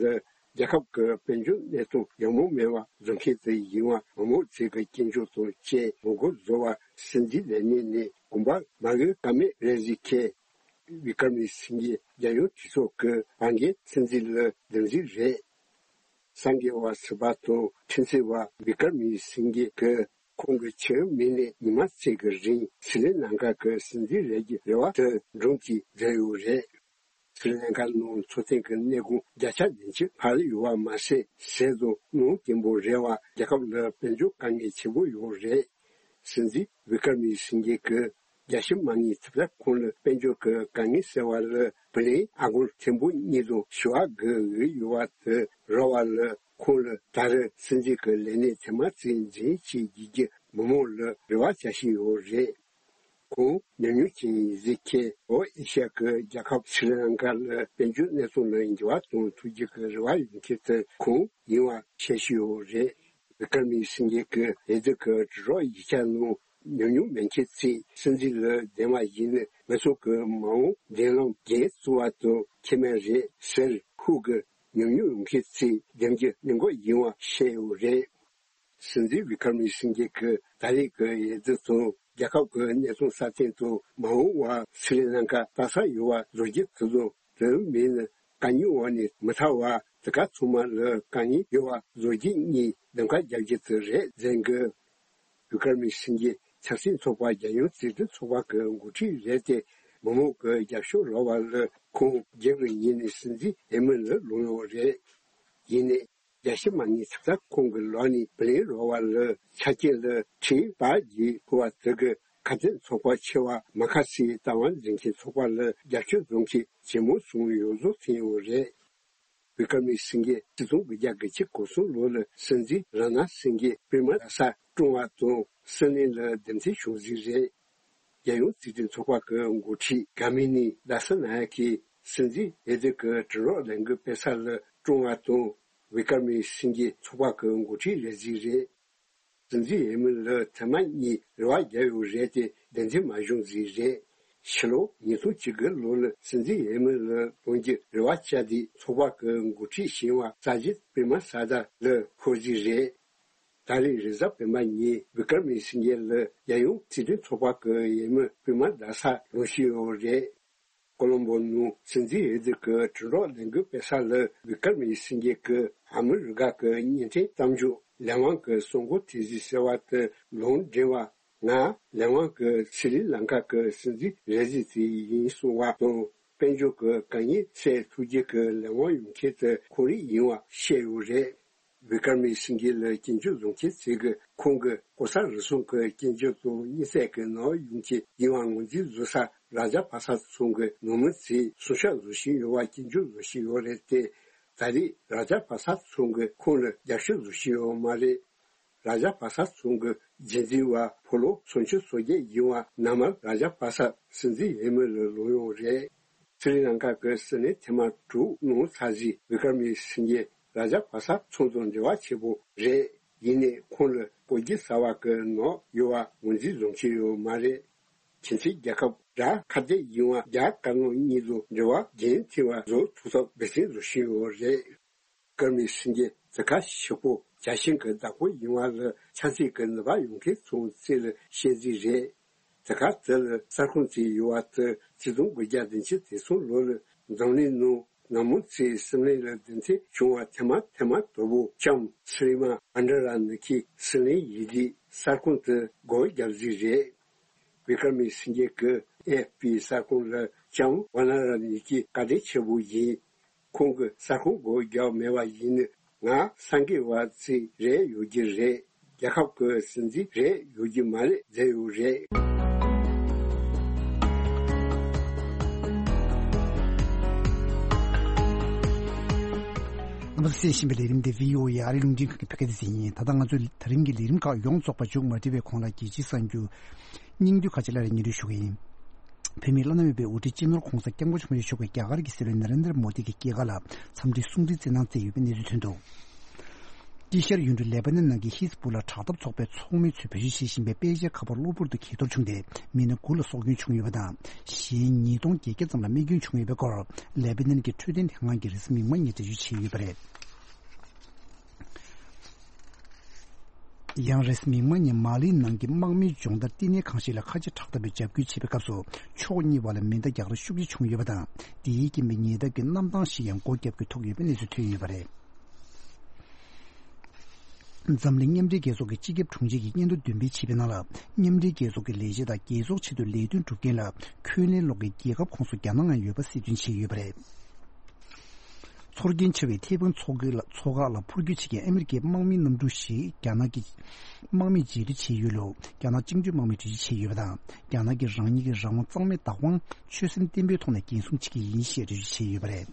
རྒྱལ་ཁབ་ཀྱི་དཔལ་འབྱོར་གནས་སྟངས་ཡག་མོ་མེད་པ་བཟོ་མཁན་དེ་ཡིན་པ་མང་མང་ཚོས་ཀྱི་སྐྱོན་བརྗོད་དང་བཅས་ངོ་རྒོལ་བཟོ་བ་སྲིད་འཛིན་ལས་གནས་ནས་དགོངས་པ་མ་འོས་ཀ་མེད་རེད་ཟེར་མཁན། བི་ཀར་མི་སིང་གེ་རྒྱལ་ཡོངས་གྲོས་ཚོགས་ཀྱི་བར་འགན་སྲིད་འཛིན་ལ་སྡོམ་རྒྱུ་རེད། སངས་རྒྱས་པ་ཟུར་པ་དང་ཁྲིམས་རྩོད་པ་བི་ཀར་མི་སིང་གེ་གིས་ཁོང་གི་ཁྱིམ་མི་ནས་ཉི་མ་གཅིག་གི་རིང་སི་རི་ལང་ཀ་གི་སྲིད་འཛིན་རེད་ཀྱི་རེ་བ་དེ་སྒྲུང་གིས་བསྒྲུབས་ཡོད་རེད། སི་རི་ལང་ཀ་ནང་འཚོ་རྟེན་གྱི་གནས་གོང་བརྒྱ་ཆ་བདུན་ཅུ་འཕར་ཡོད་པ་མ་ཟད། ཟས་དང་སྣུམ་སྐྱེན་པོ་རེད་པ། རྒྱལ་ཁབ་ལ་དཔལ་འབྱོར་དཀའ་ངལ་ཆེན་པོ་ཡོད་རེད། སྲིད་འཛིན་བི་ཀར་མི་སིང་གེ་གིས་རྒྱལ་སྤྱི་མ་དངུལ་ཐེབས་རྩ་ཁང་ལ་དཔལ་འབྱོར་གྱི་དཀའ་ངལ་སེལ་བ་ལ་བུ་ལོན་ཨ་སྒོར་ཐེར་འབུམ་གཉིས་དང་བཞི་བ་བགོས་ཡོད་པ་དེ་རག་པ་ལ་ཁོང་ལ་ད་རེས་སྲིད་འཛིན་གྱི་ལས་གནས་ཐེངས་མ་གཅིག་འཛིན་བྱེད་བགྱིད་རྒྱུ་མི་མང་ལ་རེ་བ་བྱ་བཞིན་ཡོད་རེད། ཁོང་ཉམས་མྱོང་ཅན་ཡིན་ཟེར་མཁན་ལྷོ་ཨེ་ཤ་ཡ་གི་རྒྱལ་ཁབ་སི་རི་ལང་ཀ་ལ་དཔལ་འབྱོར་གནས་སྟངས་ལ་འགྱུར་བ་གཏོང་ཐུབ་རྒྱུ་གི་རེ་བ་ཡོད་མཁན་དེ་ཁོང་ཡིན་པ་ཤེས་བཞིན་ཡོད་རེད། བི་ཀར་མི་སིང་གེ་གིས་འོས་བསྡུ་གི་དྲིལ་སྒྲོག་ཡིག་ཆ་ནང་ ཉུང་ཉུང་མེད་མཁན་ཚོས་སྲིད་འཛིན་ལ་འདེམས་པ་ཡིན་ན་ང་ཚོ་གི་མ་འོངས་འདེམས་ལམ་འགན་གཙོ་བོ་དེ་ཁེ་མེད་རེད་ཟེར། ཧུ་གི་ཉུང་ཉུང་ཡོང་མཁན་ཚོས་འདེམས་རྒྱུ་གནད་འགག་ཡིན་པ་བཤད་ཡོད་རེད། སྲིད་འཛིན་བི་ཀར་མི་སིང་གེ་གིས་ད་རེས་ཀྱི་འོས་བསྡུ་དང་རྒྱལ་ཁབ་ཀྱི་གནས་སྟངས་སྲ་བརྟན་དང་མ་འོངས་པར་སི་རི་ལང་ཀ་སྟག་ཚང་ཡོང་བ་བཟོ་རྒྱུ་དེ་དང་དོན་མེད་ན་དཀའ་རྙོག་འོག་ནས་མི་ཐར་བར་དེ་ག་ཚང་མ་ལ་དཀའ་ངལ་ཡོང་བ་བཟོ་རྒྱུ་གཉིས་གདམ་ག་རྒྱག་རྒྱུ་དེ་རེད་ཟེར་གི། བི་ཀར་མི་སིང་གེ་ཆབ་སྲིད་ཚོགས་པ་རྒྱལ་ཡོངས་རྩིས་འཛིན་ཚོགས་པ་གི་འགོ་ཁྲིད་རེད་དེ། མི་མང་གི་རྒྱབ་སྐྱོར་རག་པ་ལ་ཁོང་རྒྱུན་གྱི་ཉིན་ནས་སྲིད་འཛིན་འོས་མི་ལ་ལངས་ཡོད་རེད། ཡིན་ནའི་རྒྱལ་སྤྱི་མ་ཉིད་ཚབ་ཚབ་ཁོང་གི་ལག་ནས་བུ་ལོན་རག་པ་ལ་ཆ་རྐྱེན་ལ་ཁྲིམས་བར་གྱི་ཕུལ་བ་དེ་གི་ཁ་གཏད་ཚོགས་པ་ཆེ་བ་མ་ཁ་སིའི་ལྟ་བ་འཛིན་མཁན་ཚོགས་པ་ལ་རྒྱབ་སྐྱོར་འཛོམས་མཁན་ཇེ་མང་སོང་ཡོད་བཟོ་ཐོན་ཡོད་རེད། བི་ཀར་མི་སིང་གེ་ཆིག་སྟོང་དགུ་བརྒྱ་གྱ་གོ་གསུམ་ལོ་ལ་སྲིད་འཛིན་ར་ན་སིང་གེ་པྲེ་མ་དཱ་ས་བཀྲོངས་པ་དང་སྲིད་བློན་ལ་འདེམས་ཐོན་བྱུང་ཟིག་རེད། རྒྱལ་ཡོངས་རྩིས་འཛིན་ཚོགས་པ་གི་འགོ་ཁྲིད་གྷ་མི་ནི་དཱ་ས་ན་ཡ་ཀི་སྲིད་འཛིན་འོས་བསྡུ་གི་དྲིལ་སྒྲོག་ལས་འགུལ་སྤེལ་ས་ལ་བཀྲོངས་པ་དང་། བི་ཀར་མི་སིང་གེ་ཚོགས་པ་གི་འགོ་ཁྲིད་རེད་ཟིག་རེད། སྲིད་འཛིན་འོས་མི་ལ་ཐེངས་མ་གཉིས་རེ་བ་བརྒྱབ་ཡོད་རེད་དེ་འདེམས་ཐོན་མ་བྱུང་ཟིག་རེད། ཕྱི་ལོ་ཉིས་སྟོང་བཅུ་དགུ་ལོ་ལ་སྲིད་འཛིན་འོས་མི་ལ་ལངས་རྒྱུ་རེ་བ་བཅའ་དེ་ཚོགས་པ་གི་འགོ་ཁྲིད་གཞོན་པ་ས་ཇིད་པྲེ་མ་ས་དཱ་ལ་འཁོར་ཟིག་རེད། ད་རེས་རེས་གཟའ་སྤེན་པ་ཉིན་བི་ཀར་མི་སིང་གེ་ལ་རྒྱལ་ཡོངས་རྩིས་འཛིན་ཚོགས་པ་གི་འོས་མི་པྲེ་མ་དཱ་ས་ལངས་བཞིན་ཡོད་རེད། ཀོ་ལོམ་བོ་ནང་སྲིད་འཛིན་འོས་བསྡུ་གི་དྲིལ་སྒྲོག་ལས་འགུལ་སྤེལ་ས་ལ་བི་ཀར་མི་སིང་གེ་གིས་ཨ་མི་རི་ཀ་གི་བརྙན་འཕྲིན་གཏམ་བརྗོད་ལས་དབང་གི་གསར་འགོད་དེ་ཟིག་ཟེར་བ་དེ་ལུང་འདྲེན་པ། ང་ལས་དབང་གི་སི་རི་ལང་ཀ་གི་སྲིད་འཛིན་རེ་ཟི་དེ་ཡིན་གསུང་བ་དང་དཔལ་འབྱོར་གི་དཀའ་ངལ་སེལ་ཐུབ་རྒྱུ་གི་ལས་དབང་ཡོང་མཁན་དེ་ཁོང་རང་ཡིན་པ་བཤད་ཡོད་རེད། བི་ཀར་མི་སིང་གེ་ལ་སྐྱོན་བརྗོད་བཟོ་མཁན་ཚོས་གིས་ཁོང་གི་གོ་ས་རུལ་སུངས་ཀྱི་སྐྱོན་བརྗོད་དང་དམིགས་བསལ་གྱི་ནང་ཡོང་མཁན་ཡིན་པ་ངོས་འཛིན་བཟོ་ས་རཱ་ཇཱ་པ་ས་ཚང་གི་ནང་མི་ཚོས་སྲུང་སྐྱོབ་བཟོ་བཞིན་ཡོད་པ་སྐྱོན་བརྗོད་བཟོ་བཞིན་ཡོད་རེད་དེ། ད་རེས་རཱ་ཇཱ་པ་ས་ཚང་གིས་ཁོང་ལ་རྒྱབ་སྐྱོར་བཟོ་བཞིན་ཡོད་མ་རེད། རཱ་ཇཱ་པ་ས་ཚང་གི་རྒྱུན་འཛིན་པ་ཕོ་ལོ་སུམ་ཅུ་སོ་བརྒྱད་ཡིན་པ་ན་མ་རཱ་ཇཱ་པ་ས་སྲིད་འཛིན་འོས་མི་ལ་ལངས་ཡོད་རེད། སི་རི་ལང་ཀ་གི་སྲིད་བློན་ཐེངས་མ་དྲུག་གནང་ཚར་རྗེས་བི་ཀར་མི་སིང་གེ་རཱ་ཇཱ་པ་ས་ཚང་དང་འབྲེལ་བ་ཆེ་པོ་རེད། ཡིན་ནའི་ཁོང་ལ་གོ་རྒྱུ་ཟ་བ་གི་ནང་ཡོད་པ་ངོས་འཛིན་བཟོ་མཁན་ཡོད་མ་རེད། ཁྱིམ་མཚེས་རྒྱལ་ཁབ་ར་ཁ་གཏད་ཡིན་པ་རྒྱ་དཀར་ནག་གཉིས་དང་འབྲེལ་བ་རྒྱུན་མཐུད་པ་བཟོ་ཐུབ་ཐབས་འབད་བརྩོན་བཟོ་བཞིན་ཡོད་རེད། བི་ཀར་མི་སིང་གེ་དེ་ག་ཞིག་པོ་རྒྱལ་ཞེན་གྱི་བདག་པོ་ཡིན་པ་ལ་ཆབ་སྲིད་ཀྱི་ནུས་པ་ཡོད་མཁན་ཚོའི་རྩིས་ལ་བཤད་རྩིས་རེད། དེ་ག་དེ་ལ་གསར་ཁང་བཙུགས་ཡོད་པ་དེ་ཆིག་སྟོང་དགུ་བརྒྱ་བདུན་ཅུ་དོན་གསུམ་ལོ་ལ་འཛམ་གླིང་ནང་ན་མང་ཚོས་སྲིད་བློན་ལ་འདེམས་ཐོན་བྱུང་བ་ཐེངས་མ་ཐེངས་མ་དོ་པོ་ལྕམ་སི་རི་མ་བྷན་ཌ་ར་ནི་ཁི་སྲིད་བློན་ཡིན་དུས་གསར་ཁང་དེ་སྒོ་བརྒྱབ་རྩིས་རེད། བི་ཀར་མི་སིང་གེ་གིས་ཨེ་ཨེཕ་པི་གསར་ཁང་ལ་ལྕམ་བྷན་ཌ་ར་ནི་ཁི་བཀའ་དྲིན་ཆེ་པོ་ཡིན། ཁོང་གིས་གསར་ཁང་སྒོ་བརྒྱབ་མེད་པ་ཡིན་ན་ང་སངས་རྒྱས་པ་ཅིག་རེད་ཡོད་རྒྱུ་རེད། རྒྱལ་ཁབ་ཀྱི་སྲིད་འཛིན་རེད་ཡོད་རྒྱུ་མ་རེད་ཟེར་ཡོད་རེད། རྣམ་པ་ཚོས་གསན་བཞིན་པའི་ལས་རིམ་འདི་བྷི་ཨོ་ཨེ་ཨ་རིའི་རླུང་འཕྲིན་ཁང་གི་བོད་སྐད་སྡེ་ཚན་ཡིན། ད་ལྟ་ང་ཚོས་དེ་རིང་གི་ལས་རིམ་ཁག་ཡོངས་རྫོགས་པ་མཇུག་མ་སྒྲིལ་བའི་གོང་ལ་རྒྱལ་སྤྱིའི་གསར་འགྱུར་སྙིང་བསྡུས་ཁག་ཅིག་སླར་ཡང་སྙན་སྒྲོན་ཞུ་གི་ཡིན། བོད་མིའི་བླ་ན་མེད་པའི་དབུ་ཁྲིད་སྤྱི་ནོར་༧གོང་ས་༧སྐྱབས་མགོན་ཆེན་པོ་མཆོག་གིས་རྒྱ་གར་གྱི་སྲིད་བློན་ན་རེན་དྲ་མོ་དི་གི་སྐྱེས་སྐར་ལ་འཚམས་འདྲིའི་གསུང་འཕྲིན་བསྩལ་གནང་བསྩལ་ཡོད་པའི་གནས་ཚུལ་ཐོན་འདུག་དཀྱིལ་ཤར་ཡུལ་གྲུ་ལེ་པ་ནན་ནང་གི་ཧིས་པུ་ལ་དྲག་འཐབ་ཚོགས་པའི་ཚོགས་མི་ཚོས་བེད་སྤྱོད་བྱེད་བཞིན་པའི་དཔེ་ཆའི་ཁ་པར་གློ་བུར་དུ་གྱེས་གཏོར་བྱུང་སྟེ་མི་སྣ་དགུ་ལ་སྲོག་སྐྱོན་བྱུང་ཡོད་པ་དང་གཞན་ཉིས་སྟོང་བརྒྱད་བརྒྱ་ཙམ་ལ་རྨས་སྐྱོན་བྱུང་ཡོད་པའི་སྐོར་ལེ་པ་ནན་གྱི་འཕྲོད་བསྟེན་ལྷན་ཁང་གིས་རེས་གཟའ་མིག་དམར་ཉིན་འགྲེལ་བརྗོད་བྱས་ཡོད་པ་རེད། ཡང་རེས་གཟའ་མིག་དམར་ཉིན་མ་ལིའི་ནང་གི་དམག་མིའི་སྦྱོང་བརྡར་བསྟི་གནས་ཁང་ཞིག་ལ་ཁ་ཆེ་དྲག་འཐབ་པས་འཇབ་རྒོལ་བྱས་པའི་སྐབས་སུ་ཕྱོགས་གཉིས་བར་ལ་མེ་མདའ་རྒྱག་རེས་ཤུགས་ཆེ་བྱུང་ཡོད་པ་དང་དེའི་རྐྱེན་པས་ཉེན་བརྡ་གི་གནམ་ཐང་ཞིག་ཡང་སྒོ་བརྒྱབ་དགོས་ཐུག་ཡོད་པའི་གནས་ཚུལ་ཐོན་ཡོད་པ་རེད། འཛམ་གླིང་མཉམ་འབྲེལ་རྒྱལ་ཚོགས་ཀྱི་སྤྱི་ཁྱབ་དྲུང་ཆེ་ཡིས་སྙན་ཐོ་འདོན་སྤེལ་བྱས་པའི་ནང་ལ་མཉམ་འབྲེལ་རྒྱལ་ཚོགས་ཀྱི་ལས་བྱེད་དང་རྒྱལ་ཚོགས་ཆེད་དུ་ལས་དོན་སྒྲུབ་མཁན་ལ་འཁོན་ལན་སློག་མཁན་རྒྱལ་ཁབ་ཁོངས་སུ་རྒྱ་ནག་ཡང་ཡོད་པ་གསལ་སྟོན་བྱས་ཡོད་པ་རེད། ཚོར་སྐྱེན་ཆེ་བའི་ཐའེ་ཝན་མཚོ་ཁུལ་ལ་མཚོ་འགག་ལ་འཕུར་སྐྱོད་བྱེད་མཁན་ཨ་མི་རི་ཀའི་དམག་མིའི་གནམ་གྲུ་ཞིག་རྒྱ་ནག་གི་དམག་མིས་རྗེས་སྡུད་བྱས་ཡོད་ལུགས་རྒྱ་ནག་བཅིངས་འགྲོལ་དམག་མིས་འགྲེལ་བརྗོད་བྱས་ཡོད་པ་དང་རྒྱ་ནག་གིས་རང་ཉིད་ཀྱི་རང་དབང་གཙང་མའི་བདག་དབང་ཆོད་སེམས་བརྟན་པོའི་ཐོག་ནས་འགན་སྲུང་བྱེད་ཀྱི་ཡིན་ཞེས་འགྲེལ་བརྗོད་བྱས་ཡོད་པ་རེད།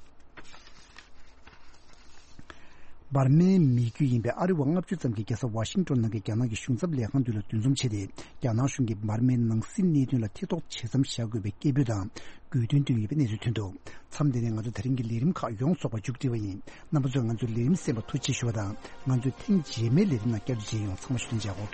འབར་མའི་མི་རྒྱུད་ཡིན་པའི་ཨ་རི་བ་ལྔ་བཅུ་ཙམ་གྱིས་རྒྱལ་ས་ཝ་ཤིང་ཏོན་ནང་གི་རྒྱ་ནག་གི་གཞུང་ཚབ་ལས་ཁང་མདུན་ལ་འདུ་འཛོམས་བྱས་ཏེ་རྒྱ་ནག་གཞུང་གིས་འབར་མའི་ནང་སྲིད་གནད་དོན་ལ་ཐེ་གཏོགས་བྱེད་མཚམས་བཞག་དགོས་པའི་སྐད་འབོད་དང་དགོས་འདུན་བཏོན་ཡོད་པའི་གནས་ཚུལ་ཐོན་འདུག་མཚམས་འདི་ནས་ང་ཚོ་དེ་རིང་གི་ལས་རིམ་ཁག་ཡོངས་རྫོགས་པ་མཇུག་སྒྲིལ་བ་ཡིན། རྣམ་པ་ཚོས་ང་ཚོའི་ལས་རིམ་གསན་པར་ཐུགས་རྗེ་ཆེ་ཞུ་བ་དང་ང་ཚོའི་ཐེངས་རྗེས་མའི་ལས་རིམ་ནང་བསྐྱར་དུ་མཇལ་ཡོང་། ཚང་མ་ཞུ་ལན་མཇལ་གོ།